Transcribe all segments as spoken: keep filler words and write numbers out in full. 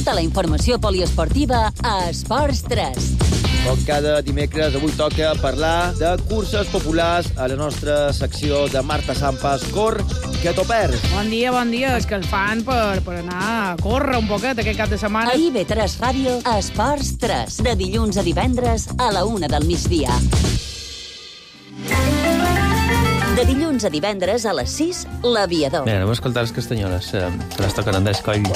Tota la informació poliesportiva a Esports tres. Com cada dimecres, avui toca parlar de curses populars a la nostra secció de Marta Sampas. Cor, que t'ho perds. Bon dia, bon dia. És que el fan per, per anar a córrer un poquet aquest cap de setmana. A I B tres Ràdio, Esports tres. De dilluns a divendres a la una del migdia. De dilluns a divendres a les sis, l'Aviador. Bé, anem a escoltar les castanyoles, eh, que les toquen Andrés Coll.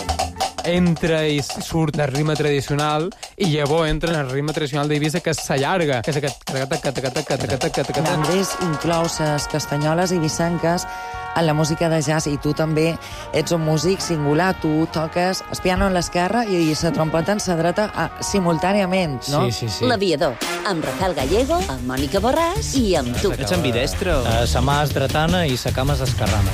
Entra i surt el ritme tradicional i llavors entra en el ritme tradicional d'Eivissa, que s'allarga, que és aquest... Andrés inclou les castanyoles i vicenques en la música de jazz, i tu també ets un músic singular. Tu toques el piano en l'esquerra i la trompeta en la dreta a, simultàniament, no? Sí, sí, sí. L'Aviador, amb Rafael Gallego, amb Mònica Borràs i amb tu. Ets ambidestre? Uh, sa mà és dretana i sa cama és esquerrana.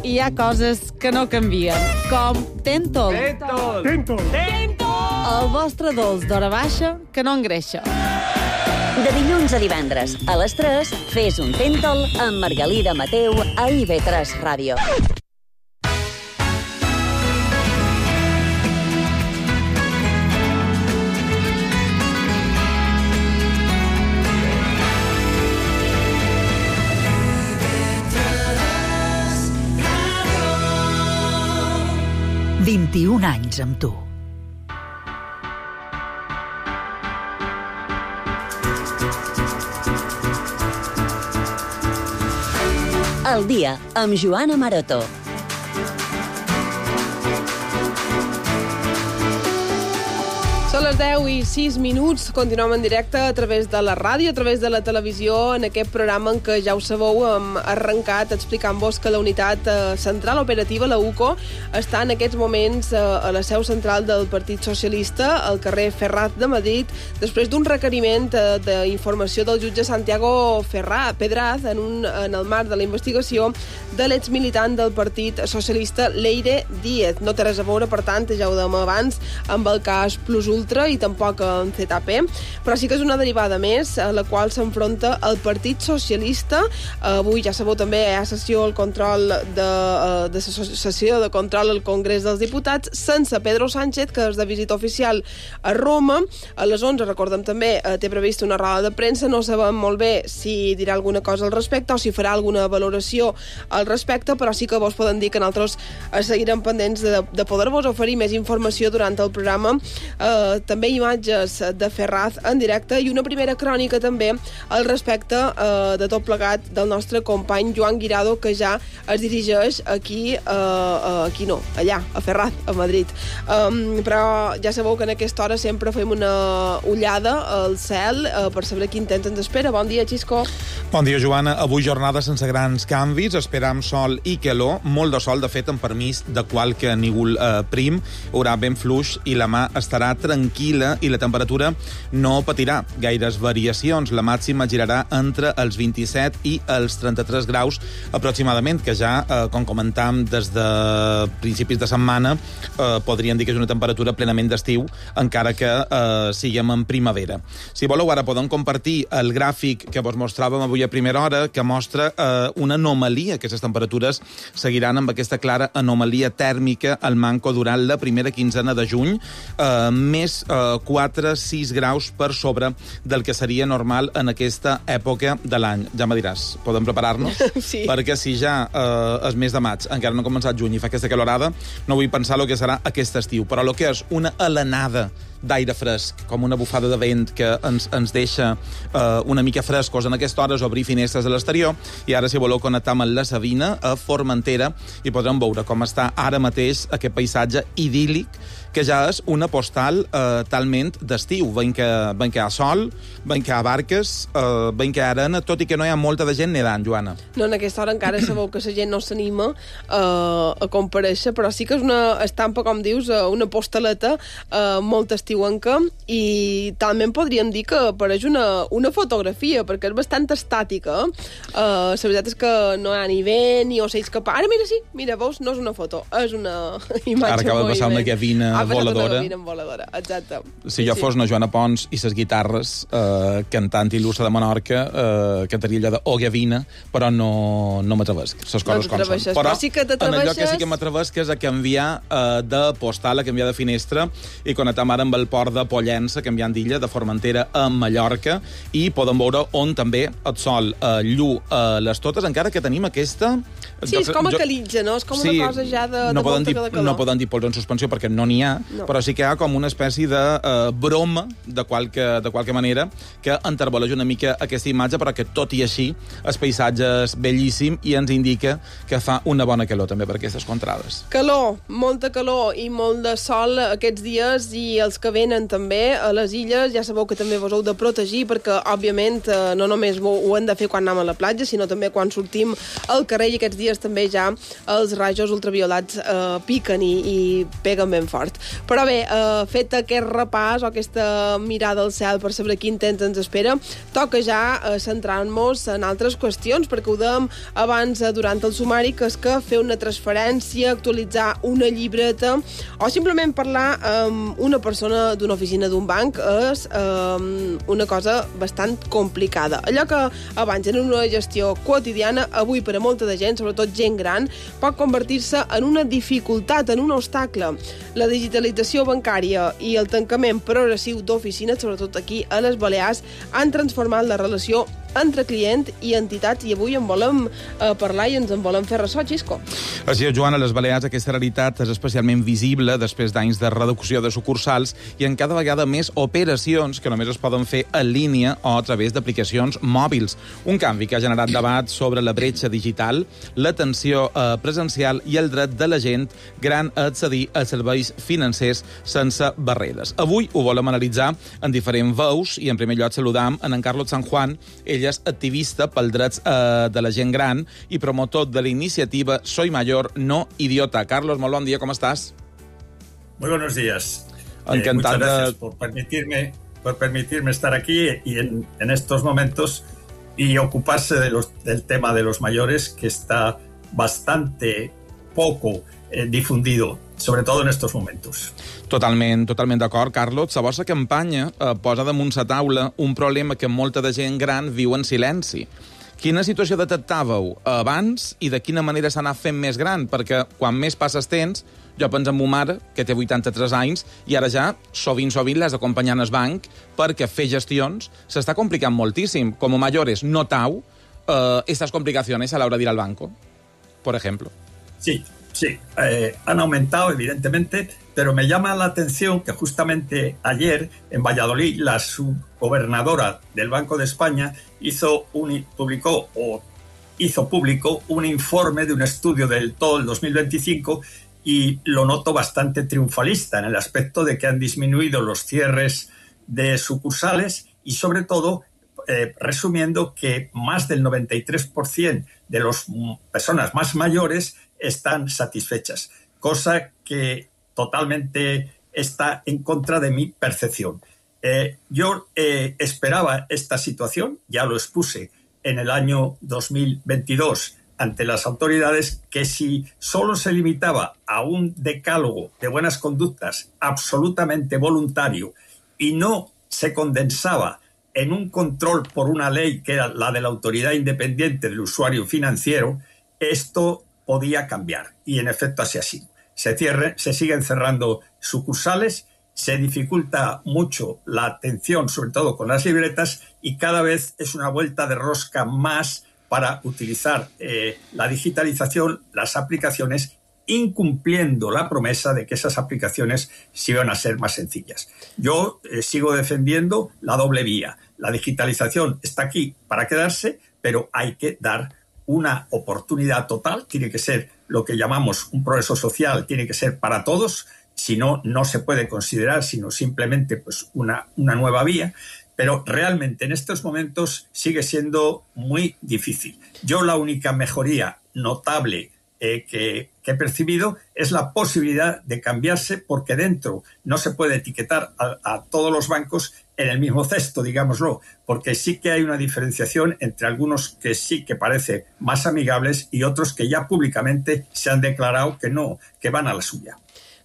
Hi ha coses que no canvien, com Tentol. Tentol! Tentol! Tentol! El vostre dolç d'hora baixa que no engreixa. De dilluns a divendres a les tres, fes un Tentol amb Margalida Mateu a I B tres Ràdio. vint-i-un anys amb tu. El dia amb Joana Maroto. Són les deu i sis minuts, continuem en directe a través de la ràdio, a través de la televisió, en aquest programa en què ja ho sabeu, hem arrencat explicant-vos que la unitat central operativa, la U C O, està en aquests moments a la seu central del Partit Socialista, al carrer Ferraz de Madrid, després d'un requeriment d'informació del jutge Santiago Ferrà, Pedraz, en, un, en el marc de la investigació de l'exmilitant del Partit Socialista, Leire Díez. No té res a veure, per tant, ja ho dèiem abans, amb el cas Plus Ultra i tampoc en Z P, però sí que és una derivada més a la qual s'enfronta el Partit Socialista. Avui, ja sabeu, també hi ha sessió al control de, de sessió de control al Congrés dels Diputats sense Pedro Sánchez, que és de visita oficial a Roma. A les onze, recordem també, té prevista una roda de premsa. No sabem molt bé si dirà alguna cosa al respecte o si farà alguna valoració al respecte, però sí que vos poden dir que nosaltres seguirem pendents de, de poder-vos oferir més informació durant el programa. Eh, també imatges de Ferraz en directe i una primera crònica també al respecte eh, de tot plegat del nostre company Joan Guirado, que ja es dirigeix aquí, eh, aquí no, allà, a Ferraz, a Madrid. Um, però ja sabeu que en aquesta hora sempre fem una ullada al cel eh, per saber quin temps ens espera. Bon dia, Xisco. Bon dia, Joana. Avui jornada sense grans canvis, esperam sol i calor, molt de sol, de fet, amb permís de qualque nígol eh, prim, haurà ben fluix i la mà estarà tranquil·la i la temperatura no patirà gaires variacions. La màxima girarà entre els vint-i-set i els trenta-tres graus aproximadament, que ja, eh, com comentàvem des de principis de setmana, eh, podríem dir que és una temperatura plenament d'estiu, encara que eh, siguem en primavera. Si voleu, ara podem compartir el gràfic que vos mostràvem avui a primera hora, que mostra eh, una anomalia, que les temperatures seguiran amb aquesta clara anomalia tèrmica al manco durant la primera quinzena de juny, eh, més eh, quatre a sis graus per sobre del que seria normal en aquesta època de l'any. Ja me diràs, podem preparar-nos? Sí. Perquè si ja eh, és mes de maig, encara no ha començat juny i fa aquesta calorada, no vull pensar el que serà aquest estiu, però el que és una alenada d'aire fresc, com una bufada de vent que ens, ens deixa eh, una mica frescos en aquesta hora, obrir finestres a l'exterior, i ara, si voleu, connectar amb la Sabina a Formentera i podrem veure com està ara mateix aquest paisatge idíl·lic, que ja és una postal eh, talment d'estiu. Veiem que, veiem que hi ha sol, veiem que hi ha barques, eh, veiem que hi ha arena, tot i que no hi ha molta de gent nedant, Joana. No, en aquesta hora encara sabeu que la gent no s'anima eh, a comparèixer, però sí que és una estampa, com dius, una postaleta eh, molt estiuenca, i també podríem dir que apareix una, una fotografia, perquè és bastant estàtica. Eh, la veritat és que no hi ha ni vent, ni ocells que... Ara, mira, sí, mira, veus, no és una foto, és una imatge. Ara acaba de passar una gavina Ah, voladora. voladora. Exacte. Si jo Sí. fos na Joana Pons i ses guitarres, eh, cantant il·lustre de Menorca, eh, cantaria allò de O Gavina, però no, no m'atrevesc. Ses coses com són. t'atreveixes, però sí que en allò que t'atreveixes- sí que m'atrevesc és a canviar eh, de postal, a canviar de finestra i connectar ara amb el port de Pollença, canviant d'illa, de Formentera a Mallorca, i podem veure on també el sol eh, llu eh, les totes, encara que tenim aquesta... Sí, és com a calitja, no? És com una cosa ja de, no de poden molta dir, calor. no poden dir pols en suspensió perquè no n'hi ha, No. però sí que hi ha com una espècie de uh, broma, de qualque, de qualque manera, que enterboleix una mica aquesta imatge, però que tot i així el paisatge és bellíssim i ens indica que fa una bona calor també per aquestes contrades. Calor, molta calor i molt de sol aquests dies, i els que venen també a les illes, ja sabeu que també vos heu de protegir, perquè, òbviament, eh, no només ho, ho hem de fer quan anem a la platja, sinó també quan sortim al carrer, i aquests dies també ja els rajos ultraviolats eh, piquen i, i peguen ben fort. Però bé, eh, fet aquest repàs o aquesta mirada al cel per saber quin temps ens espera, toca ja eh, centrar-nos en altres qüestions, perquè ho dèiem abans eh, durant el sumari, que és que fer una transferència, actualitzar una llibreta o simplement parlar amb una persona d'una oficina d'un banc és eh, una cosa bastant complicada. Allò que abans era una gestió quotidiana, avui per a molta de gent, sobretot gent gran, pot convertir-se en una dificultat, en un obstacle. La digitalització bancària i el tancament progressiu d'oficines, sobretot aquí a les Balears, han transformat la relació entre client i entitats, i avui en volem eh, parlar i ens en volem fer ressò, Xisco. Així és, Joan, a les Balears aquesta realitat és especialment visible després d'anys de reducció de sucursals i en cada vegada més operacions que només es poden fer en línia o a través d'aplicacions mòbils. Un canvi que ha generat debat sobre la bretxa digital, l'atenció eh, presencial i el dret de la gent gran a accedir a serveis financers sense barreres. Avui ho volem analitzar en diferents veus i en primer lloc saludam en en Carlos San Juan. Ell és activista pel drets eh, de la gent gran i promotor de la iniciativa Soy Mayor, no idiota. Carlos, molt bon dia, com estàs? Muy buenos días. Encantado. Eh, muchas gracias por permitirme, por permitirme estar aquí y en, en estos momentos y ocuparse de los, del tema de los mayores, que está bastante poco eh, difundido, sobre todo en estos momentos. Totalment, totalment d'acord, Carlos. La vostra campanya eh, posa damunt la taula un problema que molta de gent gran viu en silenci. Quina situació detectàveu abans i de quina manera s'ha anat fent més gran? Perquè quan més passes temps, jo penso en ma mare, que té vuitanta-tres anys, i ara ja sovint, sovint l'has d'acompanyar al banc perquè fer gestions s'està complicant moltíssim. Com a mayores notau eh, estas complicaciones a la hora de ir al banco, por ejemplo. Sí, sí, eh, han aumentado evidentemente, pero me llama la atención que justamente ayer en Valladolid la subgobernadora del Banco de España hizo un, publicó o hizo público un informe de un estudio del todo el dos mil veinticinco y lo noto bastante triunfalista en el aspecto de que han disminuido los cierres de sucursales y sobre todo eh, resumiendo que más del noventa y tres por ciento de las personas más mayores están satisfechas, cosa que totalmente está en contra de mi percepción. Eh, yo eh, esperaba esta situación, ya lo expuse en el año dos mil veintidós ante las autoridades, que si solo se limitaba a un decálogo de buenas conductas absolutamente voluntario y no se condensaba en un control por una ley que era la de la autoridad independiente del usuario financiero, esto podía cambiar. Y en efecto así ha sido. Se, cierre, se siguen cerrando sucursales, se dificulta mucho la atención, sobre todo con las libretas, y cada vez es una vuelta de rosca más para utilizar eh, la digitalización, las aplicaciones, incumpliendo la promesa de que esas aplicaciones sí van a ser más sencillas. Yo eh, sigo defendiendo la doble vía. La digitalización está aquí para quedarse, pero hay que dar una oportunidad total, tiene que ser lo que llamamos un progreso social, tiene que ser para todos, si no, no se puede considerar sino simplemente pues, una, una nueva vía, pero realmente en estos momentos sigue siendo muy difícil. Yo la única mejoría notable eh, que, que he percibido es la posibilidad de cambiarse, porque dentro no se puede etiquetar a, a todos los bancos en el mismo cesto, digámoslo, porque sí que hay una diferenciación entre algunos que sí que parece más amigables y otros que ya públicamente se han declarado que no, que van a la suya.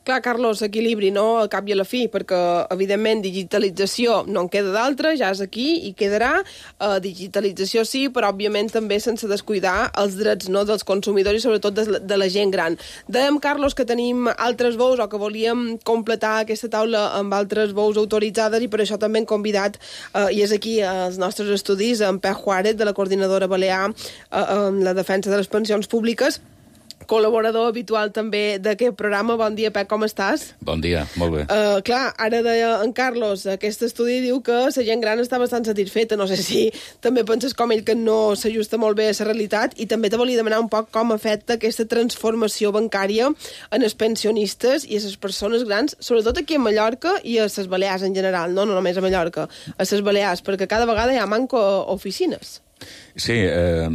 Clar, Carlos, equilibri, no?, al cap i a la fi, perquè, evidentment, digitalització no en queda d'altra, ja és aquí i quedarà. Uh, digitalització sí, però, òbviament, també sense descuidar els drets, no?, dels consumidors i, sobretot, de, de la gent gran. Dèiem, Carlos, que tenim altres veus o que volíem completar aquesta taula amb altres veus autoritzades i per això també hem convidat, uh, i és aquí als nostres estudis, en Pep Juárez, de la Coordinadora Balear uh, en la defensa de les pensions públiques, col·laborador habitual també d'aquest programa. Bon dia, Pep, com estàs? Bon dia, molt bé. Uh, clar, ara deia en Carlos, aquest estudi diu que la gent gran està bastant satisfeta. No sé si també penses com ell que no s'ajusta molt bé a la realitat, i també te volia demanar un poc com afecta aquesta transformació bancària en els pensionistes i a les persones grans, sobretot aquí a Mallorca i a les Balears en general, no, no només a Mallorca, a les Balears, perquè cada vegada hi ha manco oficines. Sí, eh...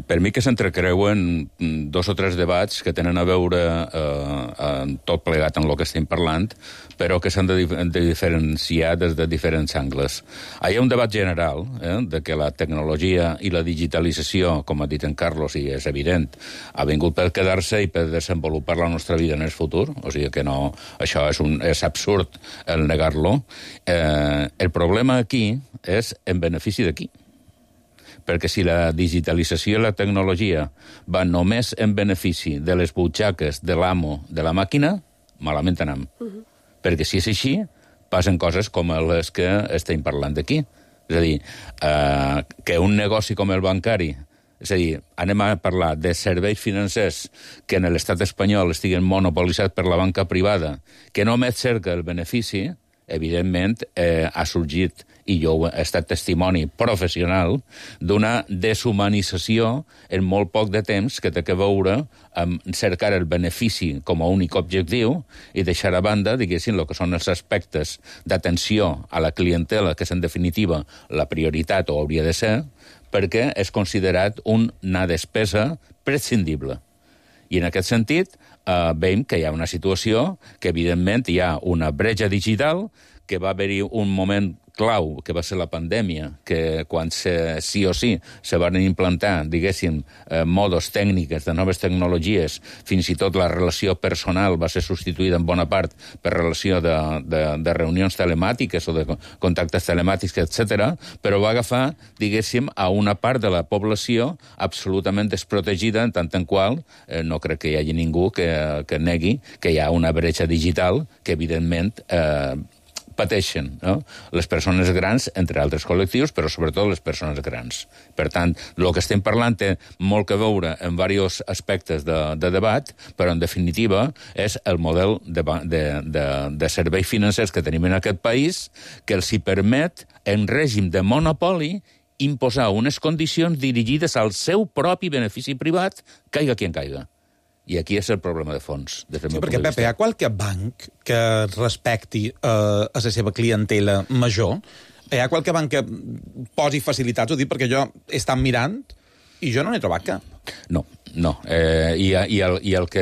per mi que s'entrecreuen dos o tres debats que tenen a veure eh, tot plegat en el que estem parlant, però que s'han de, de diferenciar des de diferents angles. Hi ha un debat general eh, de que la tecnologia i la digitalització, com ha dit en Carlos, i és evident, ha vingut per quedar-se i per desenvolupar la nostra vida en el futur, o sigui que no, això és, un, és absurd el negar-lo. Eh, el problema aquí és en benefici d'aquí. Perquè si la digitalització i la tecnologia van només en benefici de les butxaques de l'amo de la màquina, malament anem. Uh-huh. Perquè si és així, passen coses com les que estem parlant d'aquí. És a dir, eh, que un negoci com el bancari, és a dir, anem a parlar de serveis financers que en l'estat espanyol estiguen monopolitzats per la banca privada, que només cerca el benefici, evidentment eh, ha sorgit, i jo he estat testimoni professional, d'una deshumanització en molt poc de temps que té a veure amb cercar el benefici com a únic objectiu i deixar a banda, diguéssim, el que són els aspectes d'atenció a la clientela, que és en definitiva la prioritat o hauria de ser, perquè és considerat una despesa prescindible. I en aquest sentit eh, veiem que hi ha una situació que, evidentment, hi ha una bretxa digital, que va haver-hi un moment clau, que va ser la pandèmia, que quan se, sí o sí se van implantar, diguéssim, eh, modos tècniques de noves tecnologies, fins i tot la relació personal va ser substituïda en bona part per relació de, de, de reunions telemàtiques o de contactes telemàtics, etcètera, però va agafar, diguéssim, a una part de la població absolutament desprotegida, en tant en qual eh, no crec que hi hagi ningú que, que negui que hi ha una bretxa digital que, evidentment, eh, pateixen, no? Les persones grans, entre altres col·lectius, però sobretot les persones grans. Per tant, el que estem parlant té molt que veure en diversos aspectes de, de debat, però en definitiva és el model de, de, de, de serveis financers que tenim en aquest país que els hi permet, en règim de monopoli, imposar unes condicions dirigides al seu propi benefici privat, caiga qui en caiga. I aquí és el problema de fons. Des del sí, meu perquè, punt de Pepe, hi ha qualque banc que respecti eh, a la seva clientela major? Hi ha qualque banc que posi facilitats? Ho dic perquè jo he estat mirant i jo no n'he trobat cap. No, no. Eh, i, i, el, I el que...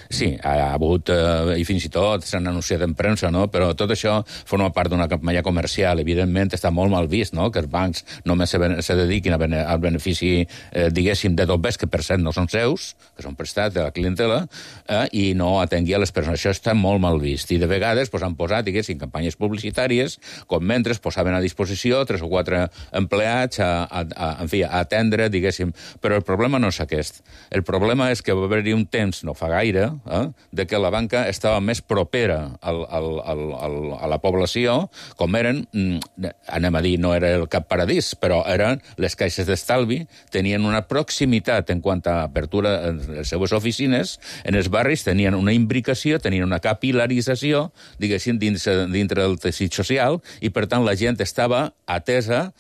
Sí, ha hagut, eh, i fins i tot s'han anunciat en premsa, no? Però tot això forma part d'una campanya comercial. Evidentment, està molt mal vist, no?, que els bancs només se, se dediquin a bene, al benefici, eh, diguéssim, de dobbers, que per cert no són seus, que són prestats de la clientela, eh, i no atengui a les persones. Això està molt mal vist. I de vegades pues, han posat, diguéssim, campanyes publicitàries, com mentre posaven a disposició tres o quatre empleats a, a, a, en fi, a atendre, diguéssim. Però el problema no és aquest. El problema és que va haver-hi un temps, no fa gaire, eh, de que la banca estava més propera al, al, al, al, a la població, com eren, anem a dir, no era el cap paradís, però eren les caixes d'estalvi, tenien una proximitat en quant a apertura de les seves oficines, en els barris tenien una imbricació, tenien una capilarització, diguéssim, dins, dintre del teixit social, i per tant la gent estava atesa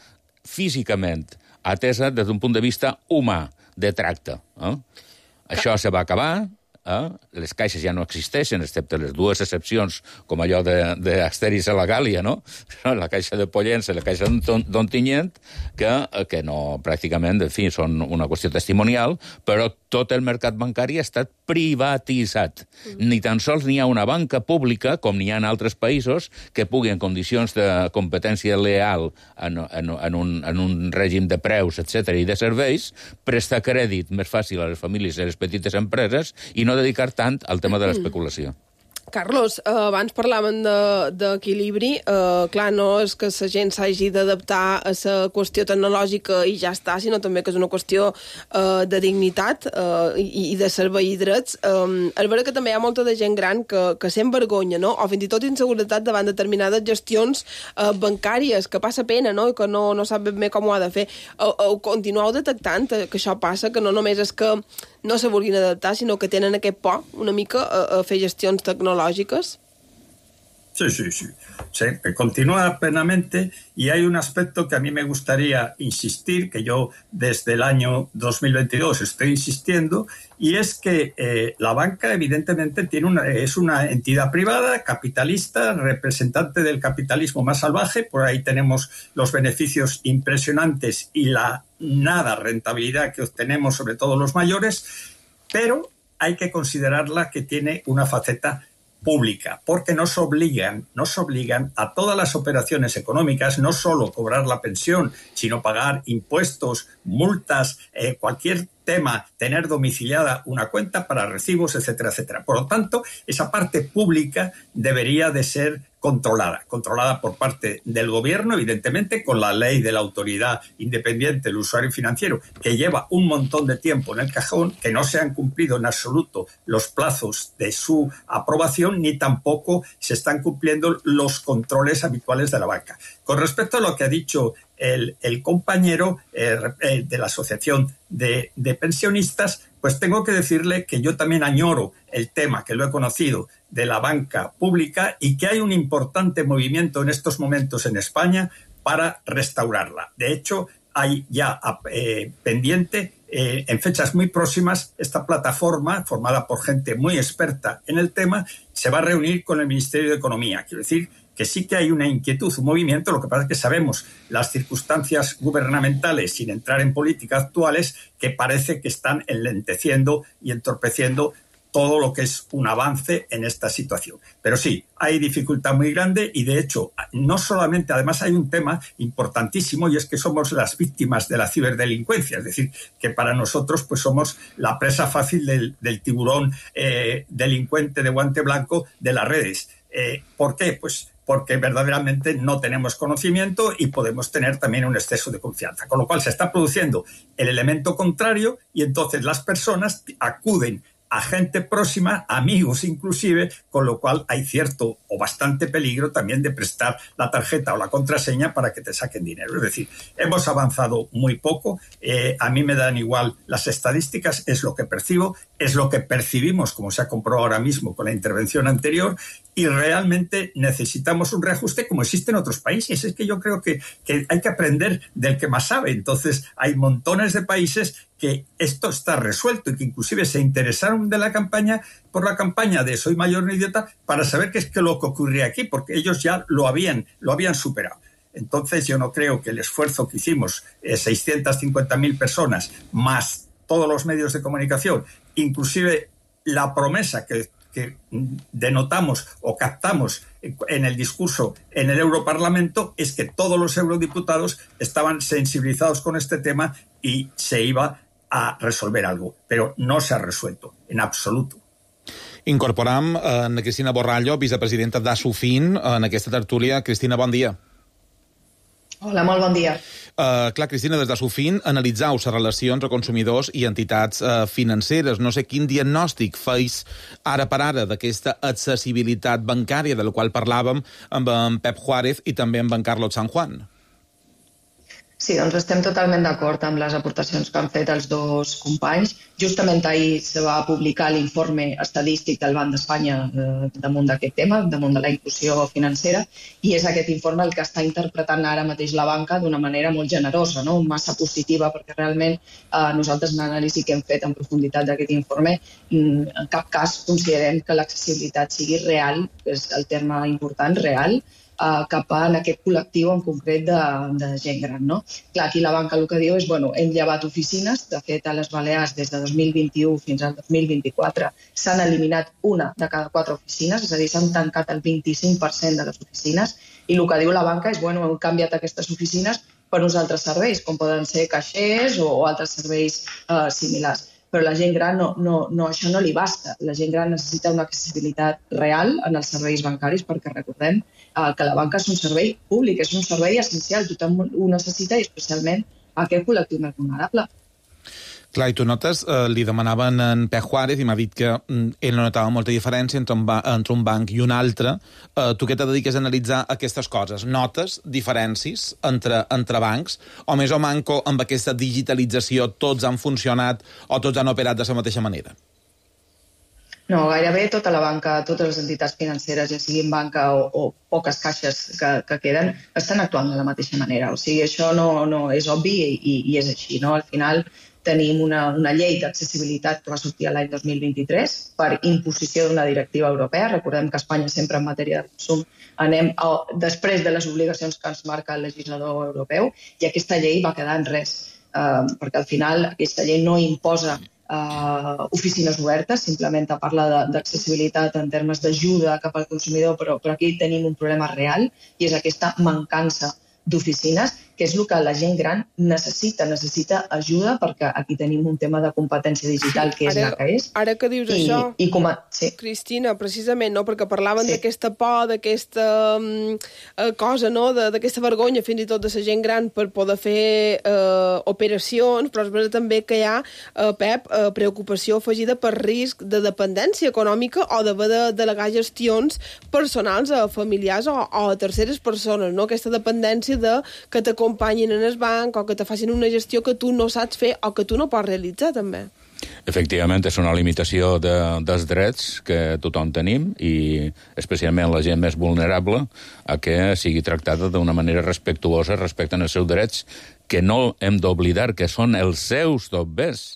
físicament, atesa des d'un punt de vista humà, de tracte. Eh? Això se va acabar, eh? Les caixes ja no existeixen, excepte les dues excepcions, com allò d'Asteris a la Gàlia, no? La caixa de Pollença i la caixa d'Ontinyent, que, que no, pràcticament, en fi, són una qüestió testimonial, però tot el mercat bancari ha estat privatitzat. Mm. Ni tan sols n'hi ha una banca pública, com n'hi ha en altres països, que pugui, en condicions de competència leal, en, en, en, un, en un règim de preus, etcètera i de serveis, prestar crèdit més fàcil a les famílies i a les petites empreses i no dedicar tant al tema de l'especulació. Carlos, eh, abans parlàvem d'equilibri. Eh, clar, no és que la gent s'hagi d'adaptar a la qüestió tecnològica i ja està, sinó també que és una qüestió eh, de dignitat eh, i, i de servei i drets. Eh, és vera que també hi ha molta de gent gran que, que sent vergonya, no? O fins i tot inseguretat davant determinades gestions eh, bancàries, que passa pena, no? I que no, no sap ben bé com ho ha de fer. O, o continueu detectant que això passa, que no només és que no se vulguin adaptar, sinó que tenen aquest por una mica a, a fer gestions tecnològiques? Sí, sí, sí. Sí, continúa plenamente y hay un aspecto que a mí me gustaría insistir, que yo desde el año dos mil veintidós estoy insistiendo, y es que eh, la banca evidentemente tiene una, es una entidad privada, capitalista, representante del capitalismo más salvaje. Por ahí tenemos los beneficios impresionantes y la nada rentabilidad que obtenemos, sobre todo los mayores, pero hay que considerarla que tiene una faceta pública, porque nos obligan, nos obligan a todas las operaciones económicas, no solo cobrar la pensión, sino pagar impuestos, multas, eh, cualquier tema, tener domiciliada una cuenta para recibos, etcétera, etcétera. Por lo tanto, esa parte pública debería de ser controlada, controlada por parte del gobierno, evidentemente, con la ley de la autoridad independiente del usuario financiero, que lleva un montón de tiempo en el cajón, que no se han cumplido en absoluto los plazos de su aprobación, ni tampoco se están cumpliendo los controles habituales de la banca. Con respecto a lo que ha dicho el, el compañero eh, de la Asociación de, de Pensionistas, pues tengo que decirle que yo también añoro el tema, que lo he conocido, de la banca pública, y que hay un importante movimiento en estos momentos en España para restaurarla. De hecho, hay ya eh, pendiente, eh, en fechas muy próximas, esta plataforma, formada por gente muy experta en el tema, se va a reunir con el Ministerio de Economía. Quiero decir que sí que hay una inquietud, un movimiento, lo que pasa es que sabemos las circunstancias gubernamentales, sin entrar en política actuales, que parece que están enlenteciendo y entorpeciendo todo lo que es un avance en esta situación. Pero sí, hay dificultad muy grande y, de hecho, no solamente, además hay un tema importantísimo, y es que somos las víctimas de la ciberdelincuencia, es decir, que para nosotros pues somos la presa fácil del, del tiburón eh, delincuente de guante blanco de las redes. Eh, ¿Por qué? Pues porque verdaderamente no tenemos conocimiento y podemos tener también un exceso de confianza. Con lo cual se está produciendo el elemento contrario y entonces las personas acuden a gente próxima, amigos inclusive, con lo cual hay cierto o bastante peligro también de prestar la tarjeta o la contraseña para que te saquen dinero. Es decir, hemos avanzado muy poco, eh, a mí me dan igual las estadísticas, es lo que percibo, es lo que percibimos, como se ha comprobado ahora mismo con la intervención anterior, y realmente necesitamos un reajuste como existe en otros países. Es que yo creo que, que hay que aprender del que más sabe. Entonces, hay montones de países que esto está resuelto y que inclusive se interesaron de la campaña, por la campaña de Soy Mayor no Idiota, para saber qué es que lo que ocurría aquí, porque ellos ya lo habían, lo habían superado. Entonces, yo no creo que el esfuerzo que hicimos, eh, seiscientas cincuenta mil personas, más todos los medios de comunicación, inclusive la promesa que que denotamos o captamos en el discurso en el Europarlamento, es que todos los eurodiputados estaban sensibilizados con este tema y se iba a resolver algo, pero no se ha resuelto en absoluto. Incorporam a Ana Cristina Borrallo, vicepresidenta d'Asufin, en aquesta tertúlia. Cristina, bon dia. Hola, molt bon dia. Uh, clar, Cristina, des de Sufin analitzau la relació entre consumidors i entitats uh, financeres. No sé quin diagnòstic feis ara per ara d'aquesta accessibilitat bancària de la qual parlàvem amb en Pep Juárez i també amb en Carlos San Juan. Sí, doncs estem totalment d'acord amb les aportacions que han fet els dos companys. Justament ahir se va publicar l'informe estadístic del Banc d'Espanya eh, damunt d'aquest tema, damunt de la inclusió financera, i és aquest informe el que està interpretant ara mateix la banca d'una manera molt generosa, no? Massa positiva, perquè realment eh, nosaltres en l'anàlisi que hem fet en profunditat d'aquest informe en cap cas considerem que l'accessibilitat sigui real, és el terme important, real, Uh, cap a en aquest col·lectiu en concret de, de gent gran. No? Clar, aquí la banca el que diu és, bueno, hem llevat oficines, de fet a les Balears des de dos mil vint-i-u fins al dos mil vint-i-quatre s'han eliminat una de cada quatre oficines, és a dir, s'han tancat el vint-i-cinc per cent de les oficines, i el que diu la banca és, bueno, hem canviat aquestes oficines per uns altres serveis, com poden ser caixers o, o altres serveis uh, similars. però la gent gran no, no, no, això no li basta. La gent gran necessita una accessibilitat real en els serveis bancaris, perquè recordem eh, que la banca és un servei públic, és un servei essencial, tothom ho necessita, i especialment aquest col·lectiu més vulnerable. Clar, i tu notes, eh, li demanaven en Pep Juárez i m'ha dit que mm, ell no notava molta diferència entre un, ba entre un banc i un altre. Eh, tu què te dediques a analitzar aquestes coses? Notes diferències entre, entre bancs? O més o manco amb aquesta digitalització tots han funcionat o tots han operat de la mateixa manera? No, gairebé tota la banca, totes les entitats financeres, ja siguin banca o, o poques caixes que, que queden, estan actuant de la mateixa manera. O sigui, això no, no és obvi i, i és així, no? Al final tenim una, una llei d'accessibilitat que va sortir l'any dos mil vint-i-tres per imposició d'una directiva europea. Recordem que a Espanya sempre en matèria de consum anem a, després de les obligacions que ens marca el legislador europeu, i aquesta llei va quedar en res, eh, perquè al final aquesta llei no imposa Uh, oficines obertes, simplement parla d'accessibilitat en termes d'ajuda cap al consumidor, però, però aquí tenim un problema real, i és aquesta mancança d'oficines, que és el que la gent gran necessita, necessita ajuda, perquè aquí tenim un tema de competència digital que és ara, la que és. Ara que dius I, això, i com a, sí. Cristina, precisament, no? Perquè parlaven Sí. d'aquesta por, d'aquesta um, cosa, no? d'aquesta vergonya, fins i tot de la gent gran per poder fer uh, operacions, però és veritat també que hi ha, uh, Pep, uh, preocupació afegida per risc de dependència econòmica o d'haver de delegar gestions personals a familiars o, o a terceres persones, no? Aquesta dependència de que t'acompanyin en el banc o que te facin una gestió que tu no saps fer o que tu no pots realitzar, també. Efectivament, és una limitació de, dels drets que tothom tenim, i especialment la gent més vulnerable, a que sigui tractada d'una manera respectuosa respecte als seus drets, que no hem d'oblidar que són els seus dobbers,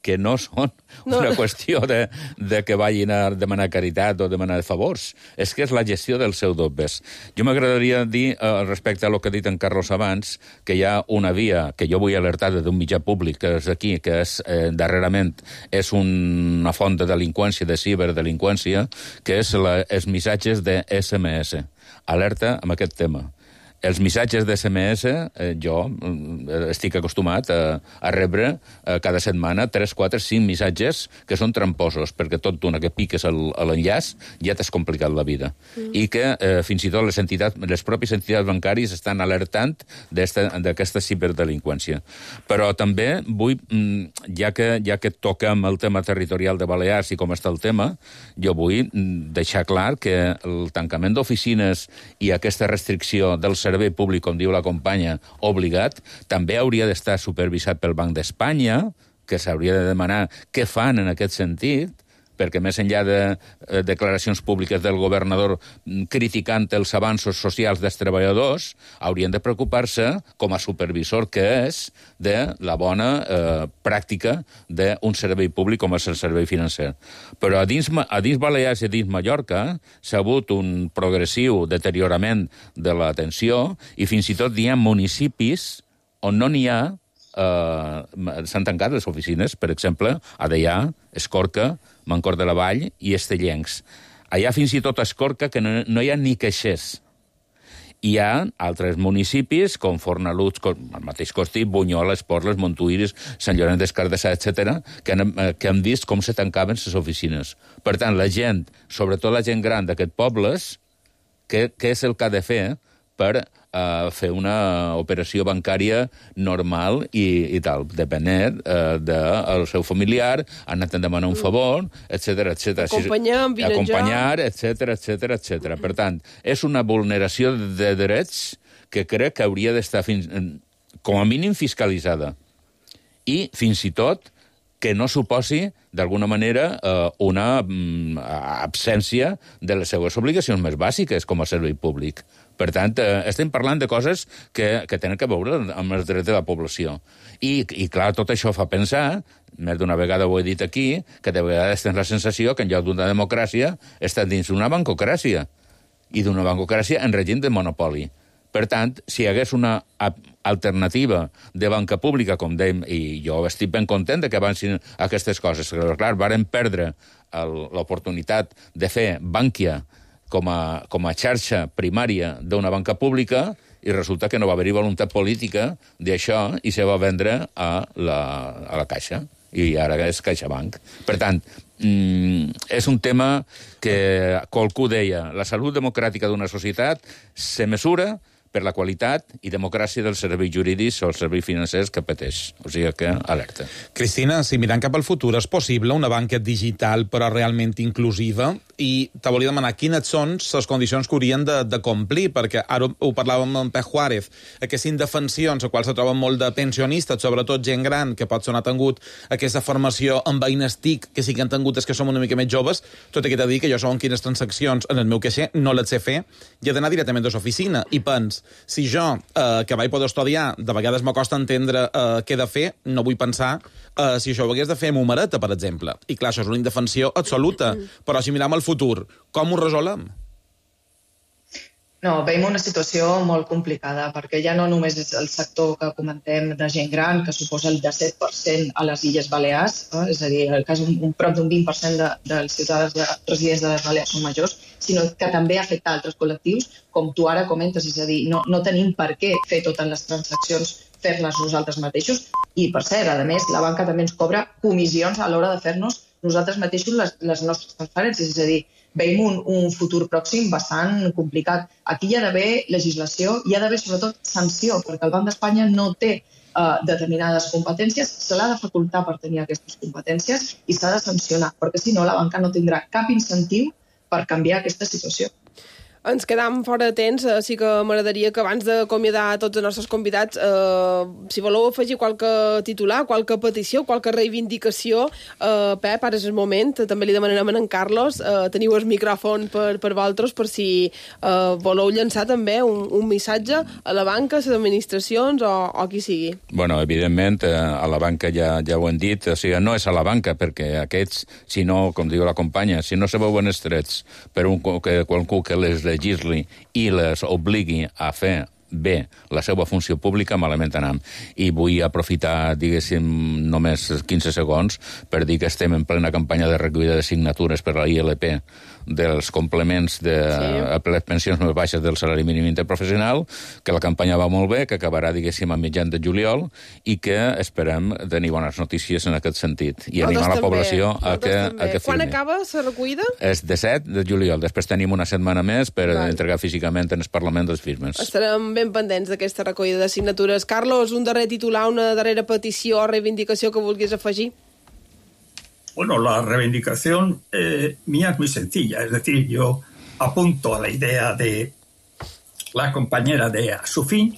que no són No. una qüestió de, de que vagin a demanar caritat o demanar favors. És que és la gestió dels seus dobbers. Jo m'agradaria dir, eh, respecte a lo que ha dit en Carlos abans, que hi ha una via que jo vull alertar d'un mitjà públic, que és aquí, que és, eh, darrerament és una font de delinqüència, de ciberdelinqüència, que és la, els missatges de esse eme esse. Alerta amb aquest tema. Els missatges d'esse eme esse, eh, jo eh, estic acostumat a, a rebre eh, cada setmana tres, quatre, cinc missatges que són tramposos, perquè tot d'una que piques l'enllaç ja t'has complicat la vida. Mm. I que eh, fins i tot les entitats, les pròpies entitats bancàries estan alertant d'aquesta ciberdelinqüència. Però també vull, ja que, ja que toquem el tema territorial de Balears i com està el tema, jo vull deixar clar que el tancament d'oficines i aquesta restricció del servei públic, com diu la companya, obligat, també hauria d'estar supervisat pel Banc d'Espanya, que s'hauria de demanar què fan en aquest sentit, perquè més enllà de eh, declaracions públiques del governador criticant els avanços socials dels treballadors, haurien de preocupar-se, com a supervisor que és, de la bona eh, pràctica d'un servei públic com és el servei financer. Però a dins, a dins Balears i a dins Mallorca s'ha hagut un progressiu deteriorament de l'atenció, i fins i tot hi ha municipis on no n'hi ha. Uh, s'han tancat les oficines, per exemple, a Deià, Escorca, Mancor de la Vall i Estellencs. Allà fins i tot a Escorca que no, no hi ha ni caixers. Hi ha altres municipis, com Fornalutx, com el mateix Costí, Bunyola, Esporles, Montuïris, Sant Llorenç des Cardassar, etcètera, que, han, que han vist com se tancaven les oficines. Per tant, la gent, sobretot la gent gran d'aquests pobles, què, què és el que ha de fer per uh, fer una operació bancària normal i, i tal, depenent uh, del seu familiar, han anat a demanar un favor, etcètera, etcètera. Acompanyar, vine Acompanyar, etcètera, etcètera, etcètera. Per tant, és una vulneració de drets que crec que hauria d'estar fins, com a mínim fiscalitzada. I, fins i tot, que no suposi, d'alguna manera, eh, una mm, absència de les seues obligacions més bàsiques com a servei públic. Per tant, eh, estem parlant de coses que, que tenen que veure amb els drets de la població. I, i clar, tot això fa pensar, més d'una vegada ho he dit aquí, que de vegades tens la sensació que en lloc d'una democràcia està dins d'una bancocràcia, i d'una bancocràcia en règim de monopoli. Per tant, si hi hagués una alternativa de banca pública, com dèiem, i jo estic ben content de que avancin aquestes coses, però clar, varen perdre l'oportunitat de fer Bankia com a, com a xarxa primària d'una banca pública, i resulta que no va haver-hi voluntat política d'això i se va vendre a la, a la Caixa. i ara és CaixaBank. Per tant, és un tema que qualcú deia, la salut democràtica d'una societat se mesura per la qualitat i democràcia dels serveis jurídics o els serveis financers que pateix. O sigui que, alerta. Cristina, si mirant cap al futur, és possible una banca digital però realment inclusiva? I te volia demanar quines són les condicions que haurien de, de complir, perquè ara ho parlàvem amb Pep Juárez, aquestes indefensions a quals se troben molt de pensionistes, sobretot gent gran, que pot ser no ha tingut aquesta formació amb eines T I C, que sí que han tingut és que som una mica més joves, tot i que t'he dit que jo som quines transaccions en el meu caixer no les sé fer, i he d'anar directament de l'oficina, i pens, si jo, eh, que vaig poder estudiar, de vegades m'acosta entendre eh, què he de fer, no vull pensar eh, si això ho hagués de fer amb humareta, per exemple. I clar, això és una indefensió absoluta, però si mirem el futur, com ho resolem? No, veiem una situació molt complicada, perquè ja no només és el sector que comentem de gent gran, que suposa el disset per cent a les Illes Balears, eh? és a dir, el cas un, un prop d'un vint per cent de, dels ciutadans de, residents de les Balears són majors, sinó que també afecta altres col·lectius, com tu ara comentes, és a dir, no, no tenim per què fer totes les transaccions, fer-les nosaltres mateixos, i per cert, a més, la banca també ens cobra comissions a l'hora de fer-nos nosaltres mateixos les, les nostres transferències, és a dir, veiem un, un futur pròxim bastant complicat. Aquí hi ha d'haver legislació, hi ha d'haver sobretot sanció, perquè el Banc d'Espanya no té uh, determinades competències, se l'ha de facultar per tenir aquestes competències i s'ha de sancionar, perquè si no la banca no tindrà cap incentiu per canviar aquesta situació. Ens quedam fora de temps, eh, sí que m'agradaria que abans d'acomiadar tots els nostres convidats, eh, si voleu afegir qualque titular, qualque petició, qualque reivindicació, eh, Pep, ara és el moment, també li demanarem a en Carlos, eh, teniu el micròfon per, per vosaltres, per si eh, voleu llançar també un, un missatge a la banca, a les administracions o, o qui sigui. Bueno, evidentment, eh, a la banca ja, ja ho hem dit, o sigui, no és a la banca, perquè aquests, si no, com diu la companya, si no se veuen estrets per un, que, qualcú que les legisli i les obligui a fer bé la seva funció pública, malament anem. I vull aprofitar, diguéssim, només quinze segons per dir que estem en plena campanya de recollida de signatures per a la I L P dels complements de sí. les pensions més baixes del salari mínim interprofessional, que la campanya va molt bé, que acabarà, diguéssim, a mitjan de juliol, i que esperem tenir bones notícies en aquest sentit. I animar la població a que, a que firmi. Quan acaba la recollida? És disset de juliol. Després tenim una setmana més per Val. entregar físicament en el Parlament les firmes. Estarem ben pendents d'aquesta recollida de signatures. Carlos, un darrer titular, una darrera petició o reivindicació que vulguis afegir? Bueno, la reivindicación eh, mía es muy sencilla, es decir, yo apunto a la idea de la compañera de Asufin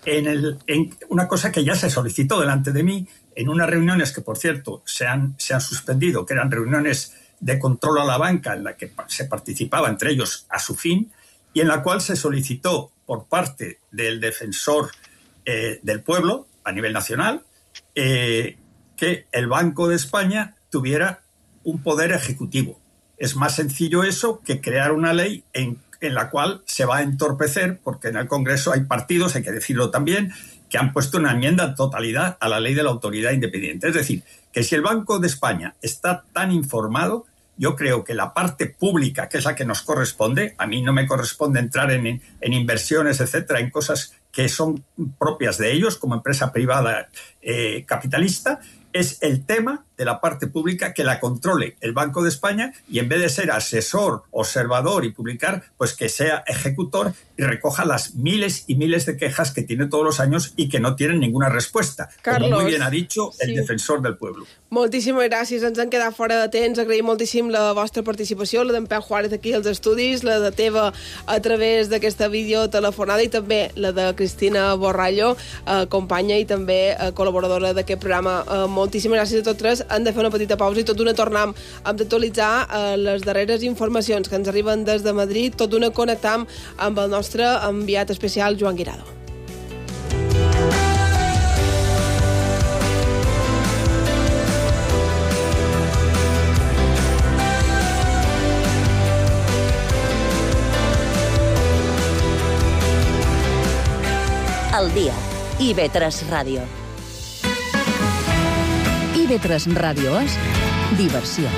en, el, en una cosa que ya se solicitó delante de mí en unas reuniones que, por cierto, se han, se han suspendido, que eran reuniones de control a la banca en la que se participaba, entre ellos Asufin, y en la cual se solicitó por parte del defensor eh, del pueblo a nivel nacional eh, que el Banco de España tuviera un poder ejecutivo. Es más sencillo eso que crear una ley en, en la cual se va a entorpecer, porque en el Congreso hay partidos, hay que decirlo también, que han puesto una enmienda en totalidad a la ley de la autoridad independiente. Es decir, que si el Banco de España está tan informado, yo creo que la parte pública, que es la que nos corresponde, a mí no me corresponde entrar en, en inversiones, etcétera, en cosas que son propias de ellos como empresa privada eh, capitalista, es el tema de la parte pública que la controle el Banco de España y en vez de ser asesor, observador y publicar, pues que sea ejecutor y recoja las miles y miles de quejas que tiene todos los años y que no tienen ninguna respuesta. Carlos, como muy bien ha dicho el sí. defensor del pueblo. Moltíssimes gràcies, ens han quedat fora de temps, agraïm moltíssim la vostra participació, la d'en Pep Juárez aquí als estudis, la de teva a través d'aquesta videotelefonada i també la de Cristina Borrallo, eh, companya i també eh, col·laboradora d'aquest programa. Eh, moltíssimes gràcies a tots tres. Hem de fer una petita pausa i tot d'una tornem a actualitzar eh, les darreres informacions que ens arriben des de Madrid, tot d'una connectam amb el nostre enviat especial Joan Guirado. Al dia. I V tres Ràdio. I V tres Ràdio és diversió.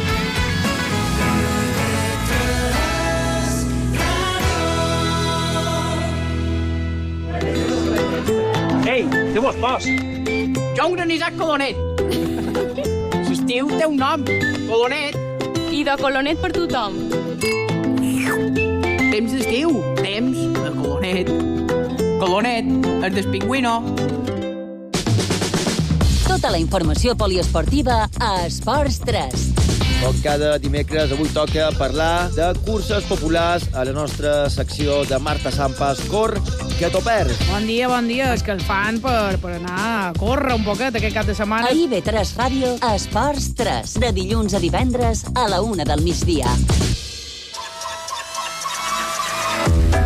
Ei, què vos fas? Jo un granissat colonet. l'estiu té un nom, Colonet. I de Colonet per tothom. Temps d'estiu, temps de Colonet. Colonet, el del pingüino. Tota la informació poliesportiva a Esports tres. Com cada dimecres, avui toca parlar de curses populars a la nostra secció de Marta Sampas. Cor, que t'ho perds. Bon dia, bon dia. Escalfant per, per anar a córrer un poquet aquest cap de setmana. A I V tres Ràdio, Esports tres. De dilluns a divendres a la una del migdia.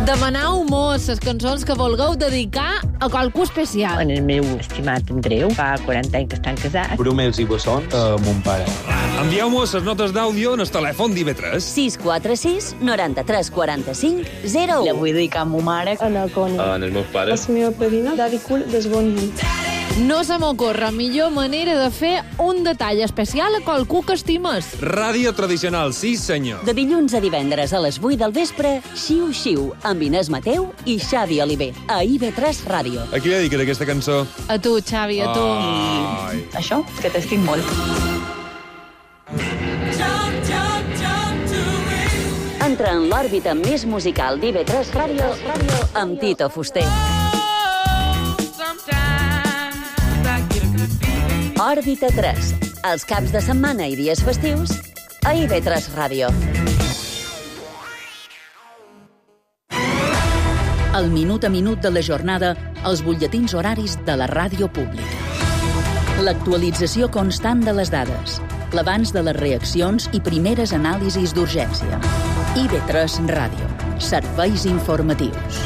Demanau mos les cançons que vulgueu dedicar a qualcú especial. En el meu estimat Andreu, fa quaranta anys que estan casats. Brumels i bessons a mon pare. Envieu-nos les notes d'àudio en el telèfon d'I V tres. sis quatre sis, noranta-tres, quaranta-cinc, zero u. La vull dedicar a ma mare. En el Coni. En els meus pares. La meva padrina, Daddy Cool, des Bonny. No se m'ocorre millor manera de fer un detall especial a qualcú que estimes. Ràdio tradicional, sí senyor. De dilluns a divendres a les vuit del vespre, Xiu Xiu, amb Inés Mateu i Xavi Oliver, a I V tres Ràdio. A qui li dediques aquesta cançó? A tu, Xavi, a tu. I això, que t'estic molt. Entra en l'òrbita més musical d'I V tres Ràdio amb Tito Fuster. Òrbita tres. Els caps de setmana i dies festius a I V tres Ràdio. El minut a minut de la jornada als butlletins horaris de la ràdio pública. L'actualització constant de les dades, l'abans de les reaccions i primeres anàlisis d'urgència. I V tres Ràdio. Serveis informatius.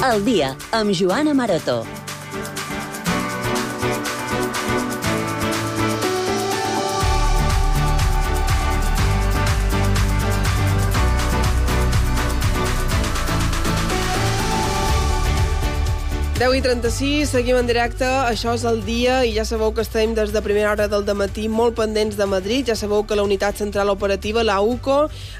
El dia, amb Joana Marató. deu i trenta-sis, seguim en directe, això és el dia i ja sabeu que estem des de primera hora del dematí molt pendents de Madrid, ja sabeu que la unitat central operativa, la U C O,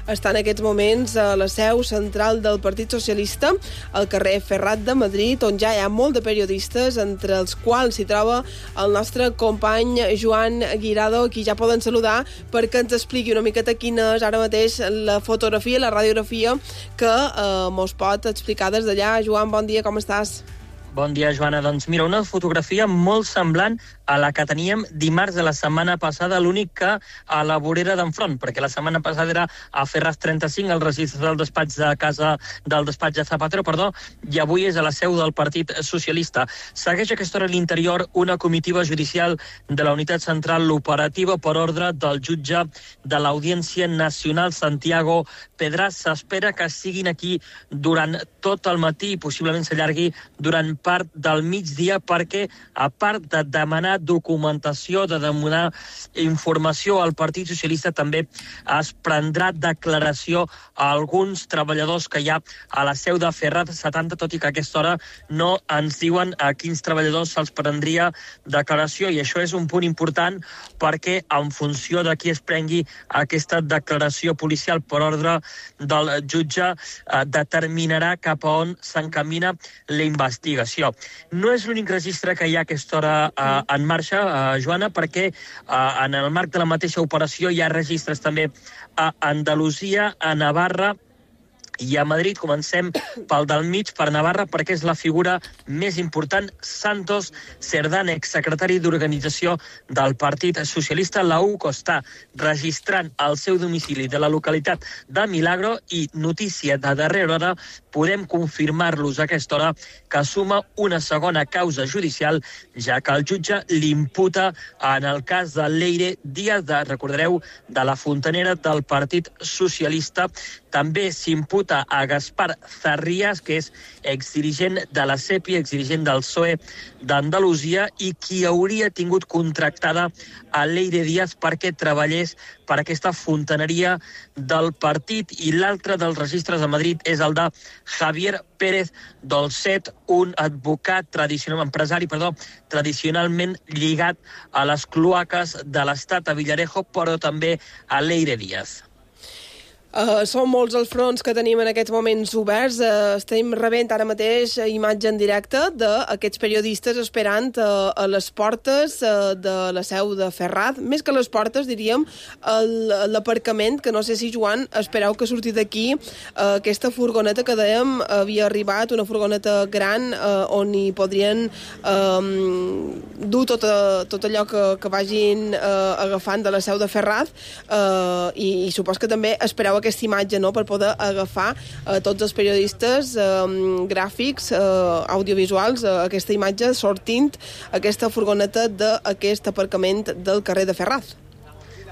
està en aquests moments a la seu central del Partit Socialista, al carrer Ferrat de Madrid, on ja hi ha molt de periodistes, entre els quals s'hi troba el nostre company Joan Guirado, qui ja poden saludar perquè ens expliqui una miqueta quina és ara mateix la fotografia, la radiografia que eh, mos pot explicar des d'allà. Joan, bon dia, com estàs? Bon dia, Joana. Doncs mira, una fotografia molt semblant a la que teníem dimarts de la setmana passada, l'únic que a la vorera d'enfront, perquè la setmana passada era a Ferraz trenta-cinc, el registre del despatx de casa del despatx de Zapatero, perdó, i avui és a la seu del Partit Socialista. Segueix a aquesta hora a l'interior una comitiva judicial de la unitat central operativa per ordre del jutge de l'Audiència Nacional, Santiago Pedraz. S'espera que siguin aquí durant tot el matí i possiblement s'allargui durant part del migdia perquè, a part de demanar documentació, de demanar informació al Partit Socialista, també es prendrà declaració a alguns treballadors que hi ha a la seu de Ferraz setanta, tot i que a aquesta hora no ens diuen a quins treballadors se'ls prendria declaració, i això és un punt important perquè en funció de qui es prengui aquesta declaració policial per ordre del jutge eh, determinarà cap a on s'encamina la investigació. No és l'únic registre que hi ha a aquesta hora eh, en marxa, eh, Joana, perquè eh, en el marc de la mateixa operació hi ha registres també a Andalusia, a Navarra i a Madrid. Comencem pel del mig, per Navarra, perquè és la figura més important, Santos Cerdán, exsecretari d'Organització del Partit Socialista. La U C O està registrant el seu domicili de la localitat de Milagro i, notícia de darrera hora, podem confirmar-los a aquesta hora que suma una segona causa judicial, ja que el jutge l'imputa en el cas de Leire Díaz, de, recordareu, de la fontanera del Partit Socialista. També s'imputa a Gaspar Zarrías, que és exdirigent de la C E P I, exdirigent del P S O E d'Andalusia, i qui hauria tingut contractada a Leire Díaz perquè treballés per aquesta fontaneria del partit. I l'altre dels registres a Madrid és el de Javier Pérez Dolcet, un advocat tradicional, empresari, perdó, tradicionalment lligat a les cloaques de l'Estat, a Villarejo, però també a Leire Díaz. Uh, són molts els fronts que tenim en aquests moments oberts. Uh, estem rebent ara mateix imatge en directe d'aquests periodistes esperant uh, a les portes uh, de la seu de Ferraz. Més que les portes, diríem, l'aparcament, que no sé si, Joan, espereu que surti d'aquí uh, aquesta furgoneta que dèiem havia arribat, una furgoneta gran uh, on hi podrien um, dur tot, a, tot allò que, que vagin uh, agafant de la seu de Ferraz uh, i, i supos que també espereu aquesta imatge, no?, per poder agafar uh, tots els periodistes um, gràfics, uh, audiovisuals, uh, aquesta imatge sortint aquesta furgoneta d'aquest aparcament del carrer de Ferraz.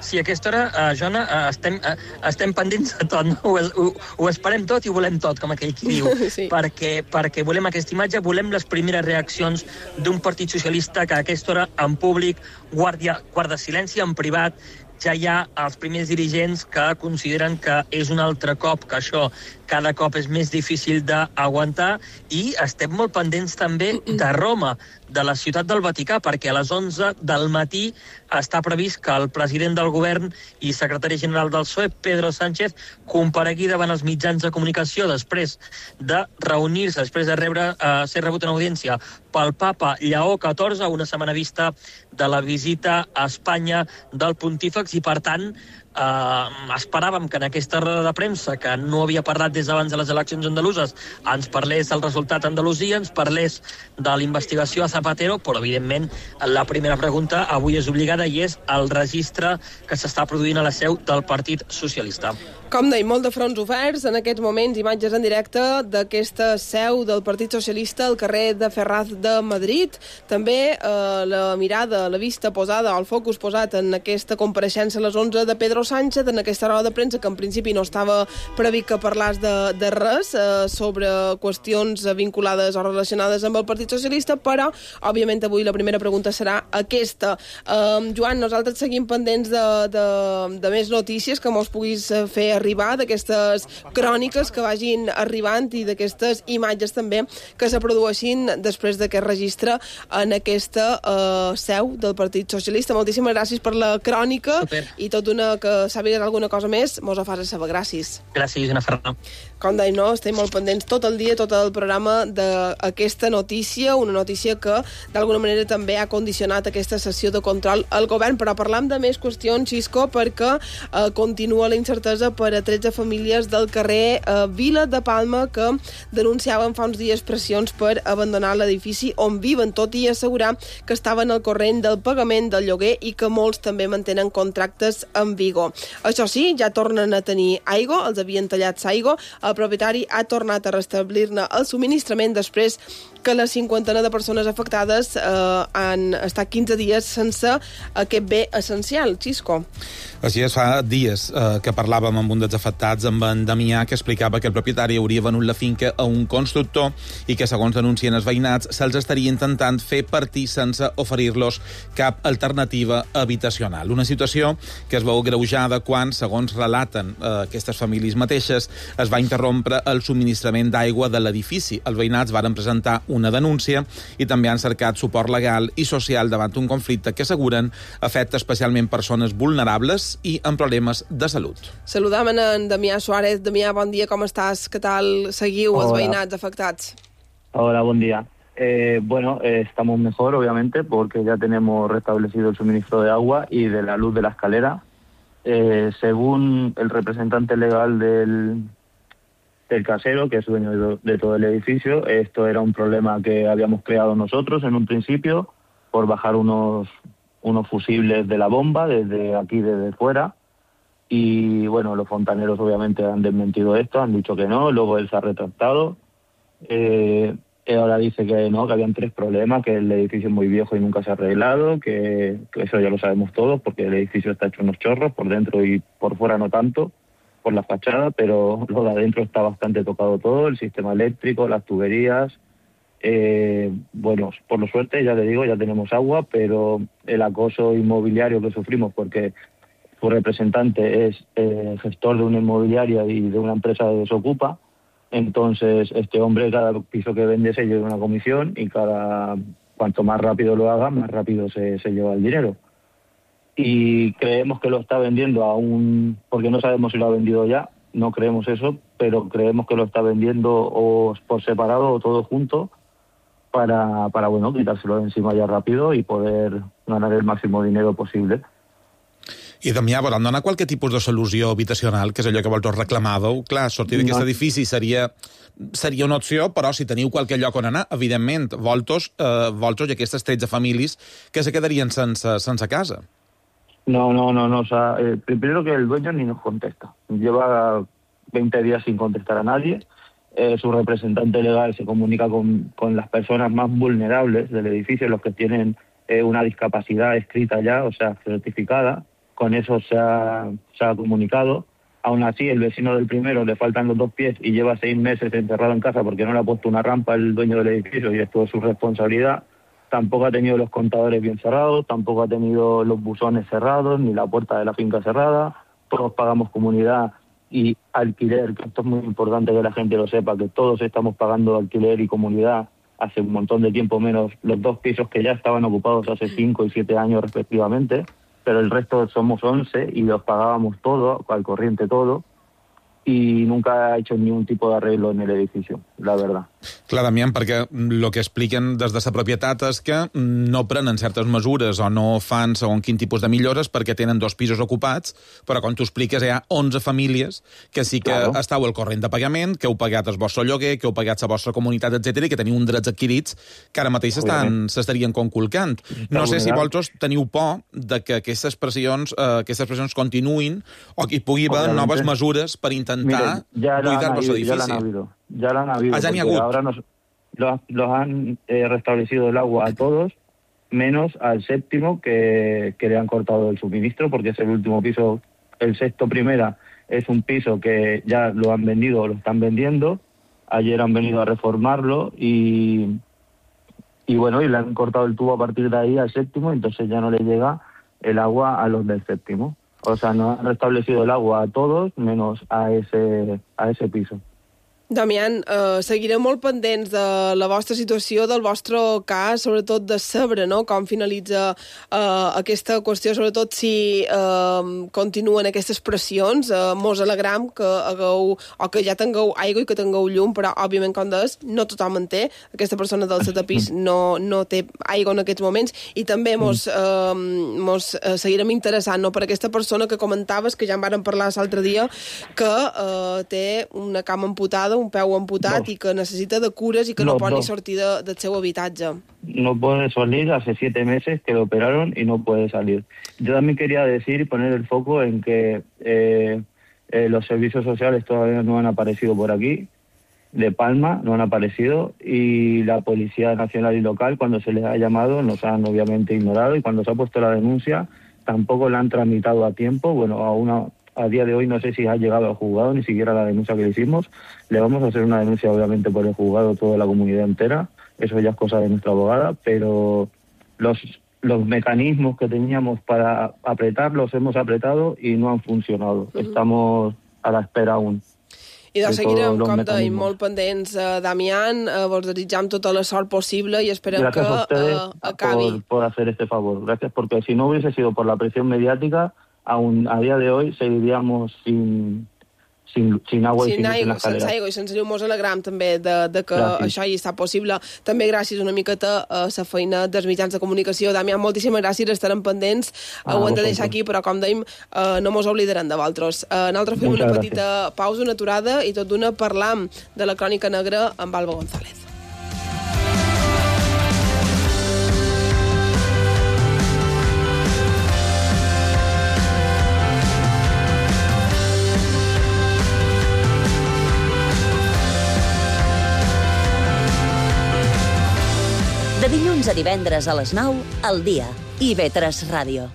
Sí, a aquesta hora, uh, Joana, uh, estem, uh, estem pendents de tot, no? Ho, ho, ho esperem tot i ho volem tot, com aquell qui diu, sí. perquè, perquè volem aquesta imatge, volem les primeres reaccions d'un Partit Socialista que a aquesta hora, en públic, guarda, guarda silenci, en privat, ja hi ha els primers dirigents que consideren que és un altre cop, que això cada cop és més difícil d'aguantar, i estem molt pendents també de Roma, de la ciutat del Vaticà, perquè a les onze del matí està previst que el president del govern i secretari general del P S O E, Pedro Sánchez, comparegui davant els mitjans de comunicació després de reunir-se, després de rebre, eh, ser rebut en audiència pel papa Lleó catorze, una setmana vista de la visita a Espanya del pontífex, i per tant Uh, esperàvem que en aquesta roda de premsa, que no havia parlat des d'abans de les eleccions andaluses, ens parlés del resultat a Andalusia, ens parlés de la investigació a Zapatero, però evidentment la primera pregunta avui és obligada i és el registre que s'està produint a la seu del Partit Socialista. Com deim, molt de fronts oferts, en aquests moments imatges en directe d'aquesta seu del Partit Socialista al carrer de Ferraz de Madrid. També eh, la mirada, la vista posada, el focus posat en aquesta compareixença a les onze de Pedro Sánchez, en aquesta roda de premsa que en principi no estava previst que parlàs de, de res eh, sobre qüestions vinculades o relacionades amb el Partit Socialista, però, òbviament, avui la primera pregunta serà aquesta. Eh, Joan, nosaltres seguim pendents de, de, de més notícies que mos puguis fer arribar, d'aquestes cròniques que vagin arribant i d'aquestes imatges també que se produeixin després d'aquest registre en aquesta uh, seu del Partit Socialista. Moltíssimes gràcies per la crònica. Super. I tot una que sàpigues alguna cosa més, mos ho fas a saber. Gràcies. Gràcies, Joana Ferran. Com deim, no? Estem molt pendents tot el dia, tot el programa d'aquesta notícia, una notícia que d'alguna manera també ha condicionat aquesta sessió de control al govern, però parlam de més qüestions, Xisco, perquè eh, continua la incertesa per a tretze famílies del carrer eh, Vila de Palma que denunciaven fa uns dies pressions per abandonar l'edifici on viven, tot i assegurar que estaven al corrent del pagament del lloguer i que molts també mantenen contractes en vigor. Això sí, ja tornen a tenir aigua, els havien tallat l'aigua, el propietari ha tornat a restablir-ne el subministrament després que la cinquantena de persones afectades eh, han estat quinze dies sense aquest bé essencial. Xisco. Així és, fa dies eh, que parlàvem amb un dels afectats, amb en Damià, que explicava que el propietari hauria venut la finca a un constructor i que, segons denuncien els veïnats, se'ls estaria intentant fer partir sense oferir-los cap alternativa habitacional. Una situació que es veu greujada quan, segons relaten eh, aquestes famílies mateixes, es va interrompre el subministrament d'aigua de l'edifici. Els veïnats varen presentar una denúncia i també han cercat suport legal i social davant un conflicte que asseguren afecta especialment persones vulnerables i amb problemes de salut. Saludam en Damià Suárez. Damià, bon dia, com estàs? Què tal seguiu els veïnats afectats? Hola, buen día. Eh, bueno, eh, estamos mejor, obviamente, porque ya tenemos restablecido el suministro de agua y de la luz de la escalera. Eh, según el representante legal del, del casero, que es dueño de, de todo el edificio, esto era un problema que habíamos creado nosotros en un principio por bajar unos, unos fusibles de la bomba desde aquí, desde fuera. Y bueno, los fontaneros obviamente han desmentido esto, han dicho que no, luego él se ha retractado. Eh, ahora dice que no, que habían tres problemas, que el edificio es muy viejo y nunca se ha arreglado, que, que eso ya lo sabemos todos porque el edificio está hecho unos chorros, por dentro y por fuera no tanto, por la fachada, pero lo de adentro está bastante tocado todo, el sistema eléctrico, las tuberías. Eh, bueno, por lo suerte, ya le digo, ya tenemos agua, pero el acoso inmobiliario que sufrimos porque su representante es eh, gestor de una inmobiliaria y de una empresa de desocupa. Entonces, este hombre, cada piso que vende se lleva una comisión y cada cuanto más rápido lo haga, más rápido se, se lleva el dinero. Y creemos que lo está vendiendo a un... porque no sabemos si lo ha vendido ya, no creemos eso, pero creemos que lo está vendiendo o por separado o todo junto para, para bueno, quitárselo de encima ya rápido y poder ganar el máximo dinero posible. I, Damià, volen donar qualque tipus de solució habitacional, que és allò que vosaltres reclamàveu? Clar, sortir d'aquest No. edifici seria, seria una opció, però si teniu qualque lloc on anar, evidentment, vosaltres, eh, vosaltres i aquestes tretze famílies que se quedarien sense, sense casa. No, no, no, no. O sea, eh, primero que el dueño ni nos contesta. Lleva veinte días sin contestar a nadie. Eh, su representante legal se comunica con, con las personas más vulnerables del edificio, los que tienen eh, una discapacidad escrita ya, o sea, certificada. Con eso se ha, se ha comunicado. Aún así, el vecino del primero le faltan los dos pies y lleva seis meses encerrado en casa porque no le ha puesto una rampa el dueño del edificio y esto es su responsabilidad. Tampoco ha tenido los contadores bien cerrados, tampoco ha tenido los buzones cerrados, ni la puerta de la finca cerrada. Todos pagamos comunidad y alquiler, que esto es muy importante que la gente lo sepa, que todos estamos pagando alquiler y comunidad hace un montón de tiempo, menos los dos pisos que ya estaban ocupados hace cinco y siete años respectivamente, pero el resto somos once y los pagábamos todo, al corriente todo, y nunca ha hecho ningún tipo de arreglo en el edificio, la verdad. Clar, Damià, perquè el que expliquen des de la propietat és que no prenen certes mesures o no fan segon quin tipus de millores perquè tenen dos pisos ocupats, però com tu expliques hi ha onze famílies que sí que claro. Estàu al corrent de pagament, que heu pagat el vostre lloguer, que heu pagat la vostra comunitat, etcètera, i que teniu uns drets adquirits que ara mateix s'estarien conculcant. No sé si vosaltres teniu por de que aquestes pressions, eh, aquestes pressions continuïn o que hi pugui haver noves mesures per intentar Miren, ya buidar el edificio. Ya la han habido, ya la han habido. Ah, ya ni ha ahora nos, los, los han eh, restablecido el agua a todos, menos al séptimo que, que le han cortado el suministro, porque es el último piso. El sexto primera es un piso que ya lo han vendido o lo están vendiendo. Ayer han venido a reformarlo y, y bueno, y le han cortado el tubo a partir de ahí al séptimo, entonces ya no le llega el agua a los del séptimo. O sea, no han restablecido el agua a todos, menos a ese, a ese piso. Damián, eh, seguirem molt pendents de la vostra situació, del vostre cas, sobretot de saber, no?, com finalitza eh, aquesta qüestió, sobretot si eh, continuen aquestes pressions. Eh, mos alegram que hagueu, o que ja tingueu aigua i que tingueu llum, però, òbviament, com deies, no tothom en té. Aquesta persona del setè pis no, no té aigua en aquests moments, i també mos, eh, mos eh, seguirem interessant, no?, per aquesta persona que comentaves, que ja en vàrem parlar l'altre dia, que eh, té una cama amputada, un peu amputat no. I que necesita de cures y que no, no pot no. ni sortir de, del seu habitatge. No puede salir, hace siete meses que lo operaron y no puede salir. Yo también quería decir y poner el foco en que eh, eh, los servicios sociales todavía no han aparecido por aquí, de Palma no han aparecido, y la Policía Nacional y Local, cuando se les ha llamado, nos han obviamente ignorado, y cuando se ha puesto la denuncia tampoco la han tramitado a tiempo. Bueno, a una... A día de hoy no sé si ha llegado al juzgado, ni siquiera la denuncia que le hicimos. Le vamos a hacer una denuncia, obviamente, por el juzgado, toda la comunidad entera. Eso ya es cosa de nuestra abogada, pero los, los mecanismos que teníamos para apretar los hemos apretado y no han funcionado. Uh-huh. Estamos a la espera aún. I doncs seguirem, com dèiem, molt pendents. Uh, Damián, uh, vos desitjam tota la sort possible i esperem Gracias que uh, acabi. Por, por hacer este favor. Gracias, porque si no hubiese sido por la presión mediática, aún a día de hoy seguiríamos sin, sin, sin agua sin i sin aigua, en la escalera. sense aigua i sense llum. Mos alegram també de, de que gràcies. Això hi està possible. També gràcies una miqueta a la feina dels mitjans de comunicació. Damián, moltíssimes gràcies, estarem pendents. Ah, ho hem de deixar aquí, però com dèiem, uh, no mos oblidarem de vosaltres. Uh, nosaltres fem Muchas una petita gràcies. Pausa, una aturada, i tot d'una parlam de la Crònica Negra amb Alba González. De dilluns a divendres a les nou, al dia. I ve tres Ràdio.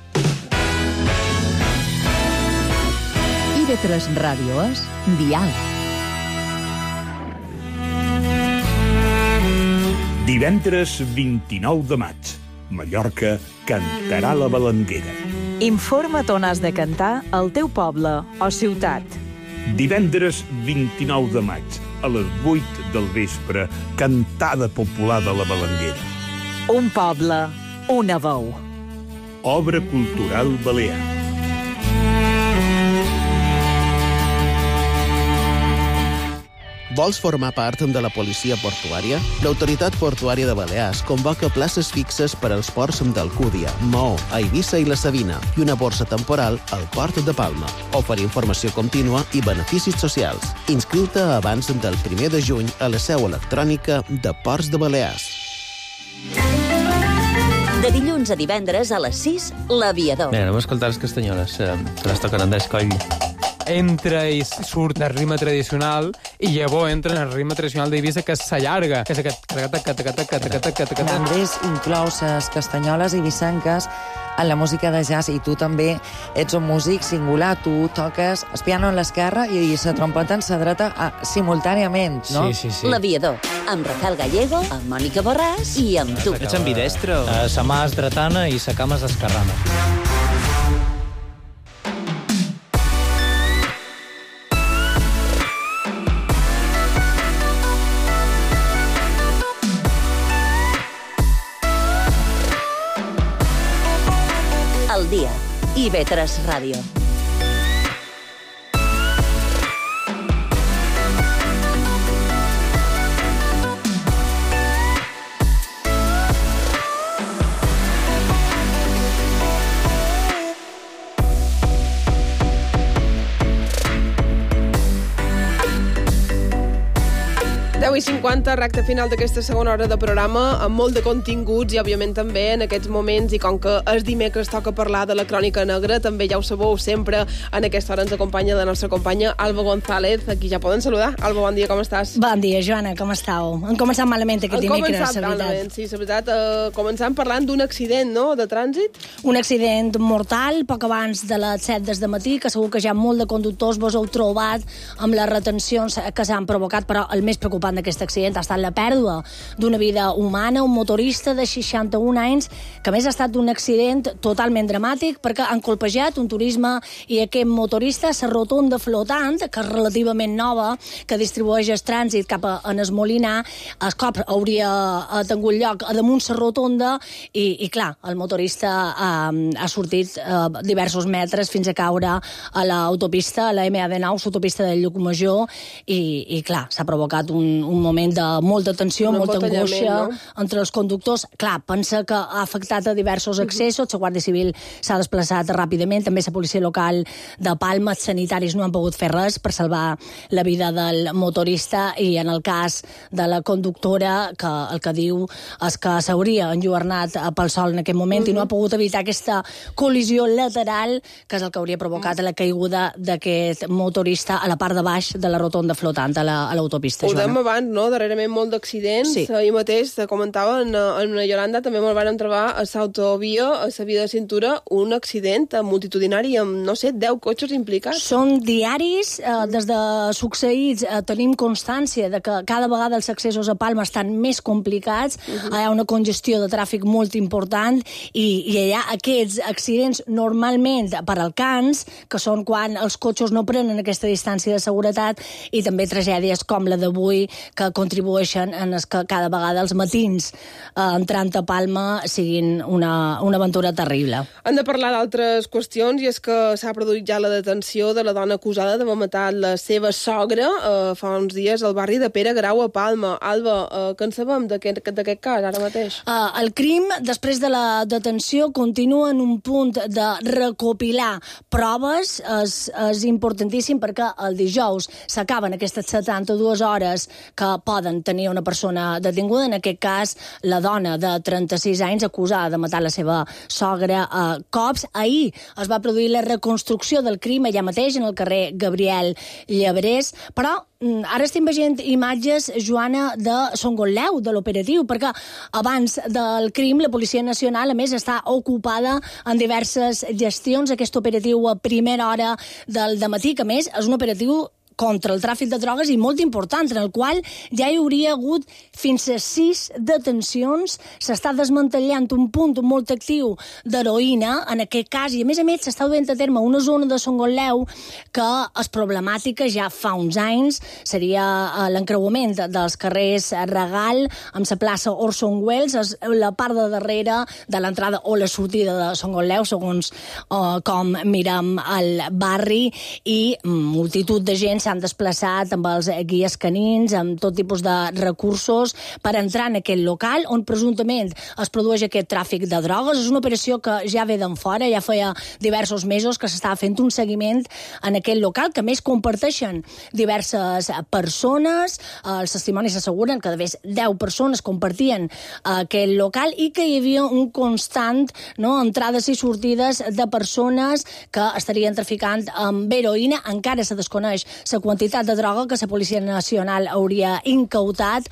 I ve tres Ràdio és Dial. Divendres vint-i-nou de maig, Mallorca cantarà la Balanguera. Informa't on has de cantar al teu poble o ciutat. Divendres vint-i-nou de maig, a les vuit del vespre, cantada popular de la Balanguera. Un poble, una veu. Obra cultural balear. Vols formar part de la policia portuària? L'Autoritat Portuària de Balears convoca places fixes per als ports d'Alcúdia, Maó, Eivissa i la Sabina i una borsa temporal al Port de Palma. Oferir informació contínua i beneficis socials. Inscriu-te abans del primer de juny a la seu electrònica de Ports de Balears. De dilluns a divendres a les sis, L'Aviador. Bé, anem a escoltar les castanyoles, que les toquen Andrés Coll. Entra i surt del ritme tradicional i llavors entra en el ritme tradicional d'Eivissa, que s'allarga, que és aquest... Andrés inclou les castanyoles eivissenques en la música de jazz, i tu també ets un músic singular. Tu toques el piano en l'esquerra i la trompeta en la dreta simultàniament, no? Sí, sí, sí. L'Aviador, amb Rafael Gallego, amb Mònica Borràs i amb tu. Ets ambidestre? La mà és dretana i la cama és esquerrana. El dia. I ve tres Ràdio. deu i cinquanta, recte final d'aquesta segona hora de programa, amb molt de continguts i, òbviament, també en aquests moments, i com que és dimecres toca parlar de la crònica negra, també ja ho sabeu, sempre en aquesta hora ens acompanya la nostra companya Alba González, aquí ja poden saludar. Alba, bon dia, com estàs? Bon dia, Joana, com estàu? Han començat malament aquest dimecres, la veritat. Malament, sí, la veritat. Uh, començant parlant d'un accident, no?, de trànsit. Un accident mortal, poc abans de les set des de matí, que segur que ja molt de conductors vos heu trobat amb les retencions que s'han provocat, però el més preocupant d'aquest accident ha estat la pèrdua d'una vida humana, un motorista de seixanta-un anys, que a més ha estat un accident totalment dramàtic perquè han colpejat un turisme i aquest motorista, la rotonda flotant, que és relativament nova, que distribueix el trànsit cap a en es Molinar, el cop hauria tingut lloc a damunt la rotonda i, i clar, el motorista eh, ha sortit eh, diversos metres fins a caure a l'autopista, a la ema de nou, l'autopista del Llucmajor, i, i clar, s'ha provocat un, un moment de molta tensió, un molta angoixa, no?, entre els conductors. Clar, pensa que ha afectat a diversos accessos, la Guàrdia Civil s'ha desplaçat ràpidament, també la policia local de Palma, els sanitaris no han pogut fer res per salvar la vida del motorista, i en el cas de la conductora, que el que diu és que s'hauria enlluernat pel sol en aquest moment, uh-huh, i no ha pogut evitar aquesta col·lisió lateral, que és el que hauria provocat la caiguda d'aquest motorista a la part de baix de la rotonda flotant a l'autopista. Ho dèiem abans, no?, darrerament molt d'accidents. Sí. Ahir mateix, te comentava, en, en Yolanda també me'l van trobar a l'autovia, a la via de cintura, un accident multitudinari amb, no sé, deu cotxes implicats. Són diaris, eh, des de succeïts eh, tenim constància de que cada vegada els accessos a Palma estan més complicats, uh-huh, hi ha una congestió de tràfic molt important, i, i hi ha aquests accidents normalment per alcans, que són quan els cotxes no prenen aquesta distància de seguretat, i també tragèdies com la d'avui, que contribueixen en es que cada vegada els matins eh, entrant a Palma siguin una, una aventura terrible. Hem de parlar d'altres qüestions, i és que s'ha produït ja la detenció de la dona acusada d'haver matat la seva sogra eh, fa uns dies al barri de Pere Grau a Palma. Alba, eh, què en sabem d'aquest cas ara mateix? Uh, el crim, després de la detenció, continua en un punt de recopilar proves. És, és importantíssim perquè el dijous s'acaben aquestes setanta-dues hores que poden tenir una persona detinguda, en aquest cas la dona de trenta-sis anys acusada de matar la seva sogra a cops. Ahir es va produir la reconstrucció del crim allà mateix, en el carrer Gabriel Llebrés, però ara estem veient imatges, Joana, de Songotleu, de l'operatiu, perquè abans del crim la Policia Nacional, a més, està ocupada en diverses gestions. Aquest operatiu a primera hora del dematí, que a més és un operatiu contra el tràfic de drogues i molt important, en el qual ja hi hauria hagut fins a sis detencions. S'està desmantellant un punt molt actiu d'heroïna, en aquest cas, i a més a més s'està duent a terme una zona de Songotleu que és problemàtica ja fa uns anys. Seria l'encreuament dels carrers Regal amb la plaça Orson Welles, és la part de darrere de l'entrada o la sortida de Songotleu, segons uh, com mirem el barri, i multitud de gent s'ha s'han desplaçat amb els guies canins, amb tot tipus de recursos per entrar en aquest local on presumptament es produeix aquest tràfic de drogues. És una operació que ja ve d'en fora, ja feia diversos mesos que s'estava fent un seguiment en aquest local, que més comparteixen diverses persones. Els testimonis asseguren que de més deu persones compartien aquest local i que hi havia un constant, no, entrades i sortides de persones que estarien traficant amb heroïna. Encara se desconeix la quantitat de droga que la Policia Nacional hauria incautat,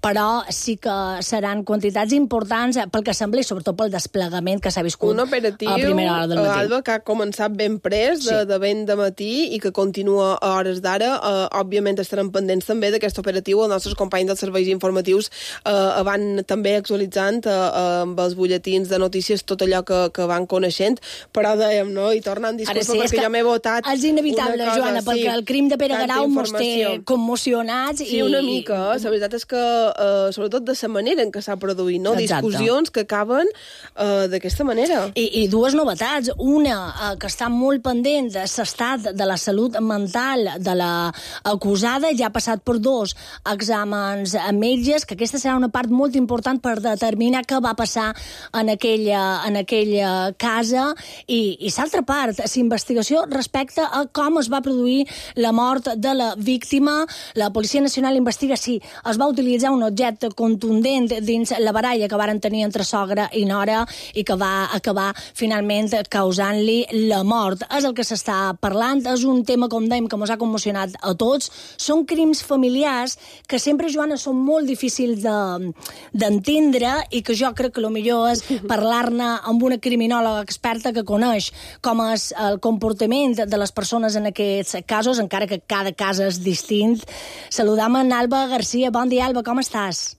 però sí que seran quantitats importants pel que sembla i sobretot pel desplegament que s'ha viscut un operatiu, a primera hora del matí. Alba, que ha començat ben pres, de, sí. de ben de matí, i que continua a hores d'ara. Uh, òbviament estarem pendents també d'aquest operatiu. Els nostres companys dels serveis informatius uh, van també actualitzant uh, uh, amb els butlletins de notícies tot allò que, que van coneixent, però dèiem, no? I tornant, disculpa, sí, perquè jo m'he votat és inevitable, cosa, Joana, sí, perquè el crim de Pere Garau mos té commocionats. Sí, i, una mica. I... La veritat és que, uh, sobretot de la manera en què s'ha produït, no? Exacte. Discussions que acaben uh, d'aquesta manera. I, I dues novetats. Una, uh, que està molt pendent de l'estat de la salut mental de l'acusada, ja ha passat per dos exàmens a metges, que aquesta serà una part molt important per determinar què va passar en aquella, en aquella casa. I, i l'altra part, la investigació respecte a com es va produir la mort de la víctima. La Policia Nacional investiga si es va utilitzar un objecte contundent dins la baralla que varen tenir entre sogra i nora i que va acabar finalment causant-li la mort. És el que s'està parlant, és un tema, com dèiem, que ens ha commocionat a tots. Són crims familiars que sempre, Joana, són molt difícils de, d'entendre i que jo crec que el millor és parlar-ne amb una criminòloga experta que coneix com és el comportament de les persones en aquests casos, encara que cada cas és distint. Saludam en Alba Garcia. Bon dia, Alba, com estàs?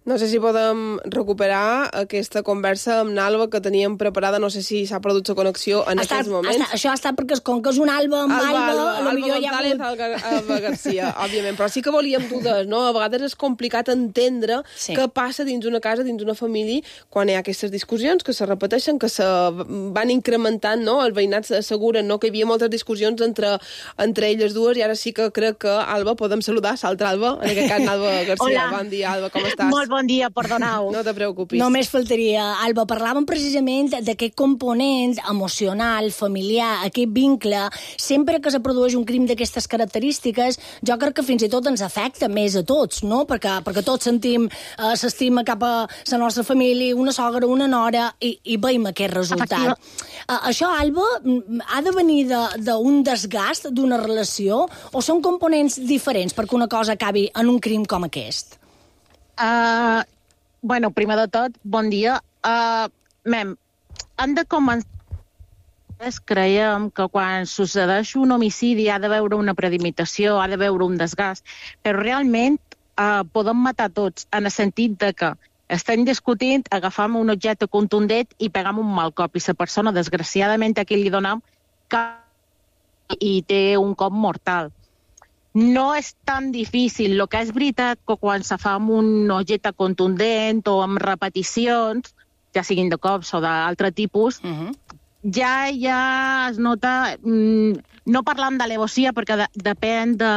No sé si podem recuperar aquesta conversa amb l'Alba que teníem preparada. No sé si s'ha produït la connexió en estat, aquests moments. Estat, això ha estat perquè com que és un Alba amb Alba, Alba, Alba, Alba González, ja Alba, Alba Garcia, òbviament. Però sí que volíem dudar, no? A vegades és complicat entendre sí. què passa dins una casa, dins una família, quan hi ha aquestes discussions que se repeteixen, que se van incrementant, no? Els veïnats asseguren, no?, que hi havia moltes discussions entre, entre elles dues, i ara sí que crec que, Alba, podem saludar l'altra Alba, en aquest cas Alba Garcia. Hola. Bon dia, Alba, com estàs? Molt bon dia, perdoneu. No te preocupis. Només faltaria, Alba. Parlàvem precisament d'aquest component emocional, familiar, aquest vincle. Sempre que se produeix un crim d'aquestes característiques, jo crec que fins i tot ens afecta més a tots, no? Perquè, perquè tots sentim eh, s'estima cap a la nostra família, una sogra, una nora, i, i veiem aquest resultat. Uh, això, Alba, ha de venir d'un de, desgast d'una relació o són components diferents perquè una cosa acabi en un crim com aquest? Uh, bueno, primer de tot, bon dia. Uh, mem, han de començar... Creiem que quan succeeix un homicidi ha de veure una premeditació, ha de veure un desgast, però realment uh, podem matar tots, en el sentit de que estem discutint, agafam un objecte contundent i pegam un mal cop, i la persona, desgraciadament, a qui li donem i té un cop mortal. No és tan difícil. El que és veritat que quan se fa amb un objecte contundent o amb repeticions, ja siguin de cops o d'altre tipus, uh-huh. ja ja es nota, mm, no parlant d'alevosia, perquè de, depèn de...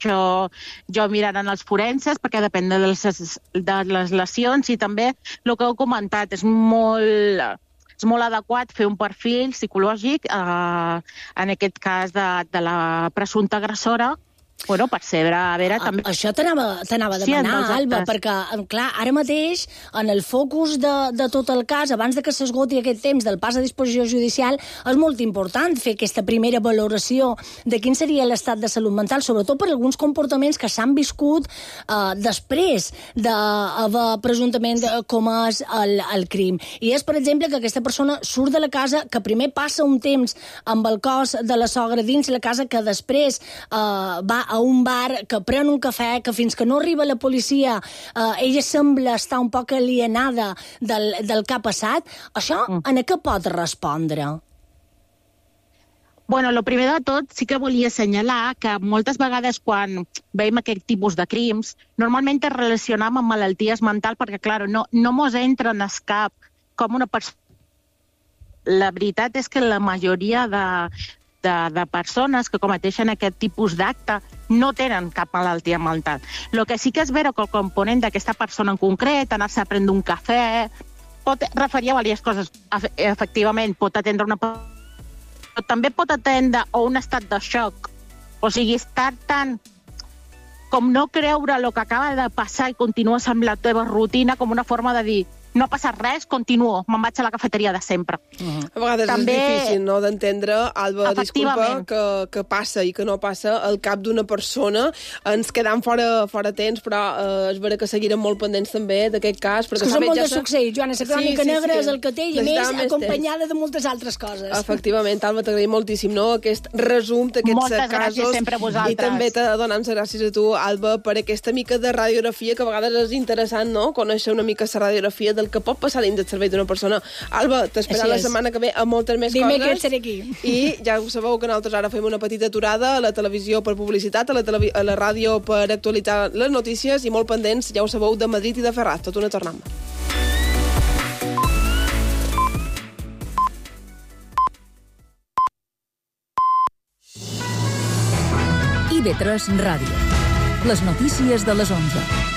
Jo, jo miraré els forenses, perquè depèn de les, de les lesions, i també el que heu comentat, és molt... és molt adequat fer un perfil psicològic, eh, en aquest cas de, de la presumpta agressora, bueno, per saber, a veure, també... Això t'anava a demanar, sí, Alba, perquè, clar, ara mateix, en el focus de, de tot el cas, abans de que s'esgoti aquest temps del pas a disposició judicial, és molt important fer aquesta primera valoració de quin seria l'estat de salut mental, sobretot per alguns comportaments que s'han viscut eh, després d'haver presumptament comès el, el crim. I és, per exemple, que aquesta persona surt de la casa, que primer passa un temps amb el cos de la sogra dins la casa, que després eh, va a un bar, que pren un cafè, que fins que no arriba la policia eh, ella sembla estar un poc alienada del, del que ha passat. Això, mm. en què pot respondre? Bueno, el primer de tot, sí que volia assenyalar que moltes vegades quan veiem aquest tipus de crims, normalment es relacionam amb malalties mentals perquè, clar, no, no mos entra en el cap com una persona la veritat és que la majoria de, de, de persones que cometeixen aquest tipus d'acte no tenen cap malaltia mental. El que sí que és vera que el component d'aquesta persona en concret, anar-se a prendre un cafè, pot referir a diverses coses. Efectivament, pot atendre una persona, però també pot atendre a un estat de xoc. O sigui, estar tan com no creure el que acaba de passar i continues amb la teva rutina com una forma de dir no ha passat res, continuo, me'n vaig a la cafeteria de sempre. Uh-huh. A vegades també... és difícil, no?, d'entendre, Alba, disculpa, que, que passa i que no passa al cap d'una persona. Ens quedam fora, fora temps, però eh, és vera que seguirem molt pendents també d'aquest cas. És que són molt de succeir, Joana, la crònica sí, sí, negra sí. és el que té, i a més, acompanyada de moltes altres coses. Efectivament, Alba, t'agraïm moltíssim, no?, aquest resum d'aquests Moltes casos. Gràcies sempre a vosaltres. I també t'he de donar les gràcies a tu, Alba, per aquesta mica de radiografia, que a vegades és interessant, no?, conèixer una mica la radiografia del que pot passar dins del cervell d'una persona. Alba, t'esperem la setmana que ve a moltes més Dime coses. Que seré aquí. I ja ho sabeu que nosaltres ara fem una petita aturada a la televisió per publicitat, a la, televi a la ràdio per actualitzar les notícies i molt pendents, ja ho sabeu, de Madrid i de Ferraz. Tot una tornam. I V tres Ràdio. Les notícies de les onze.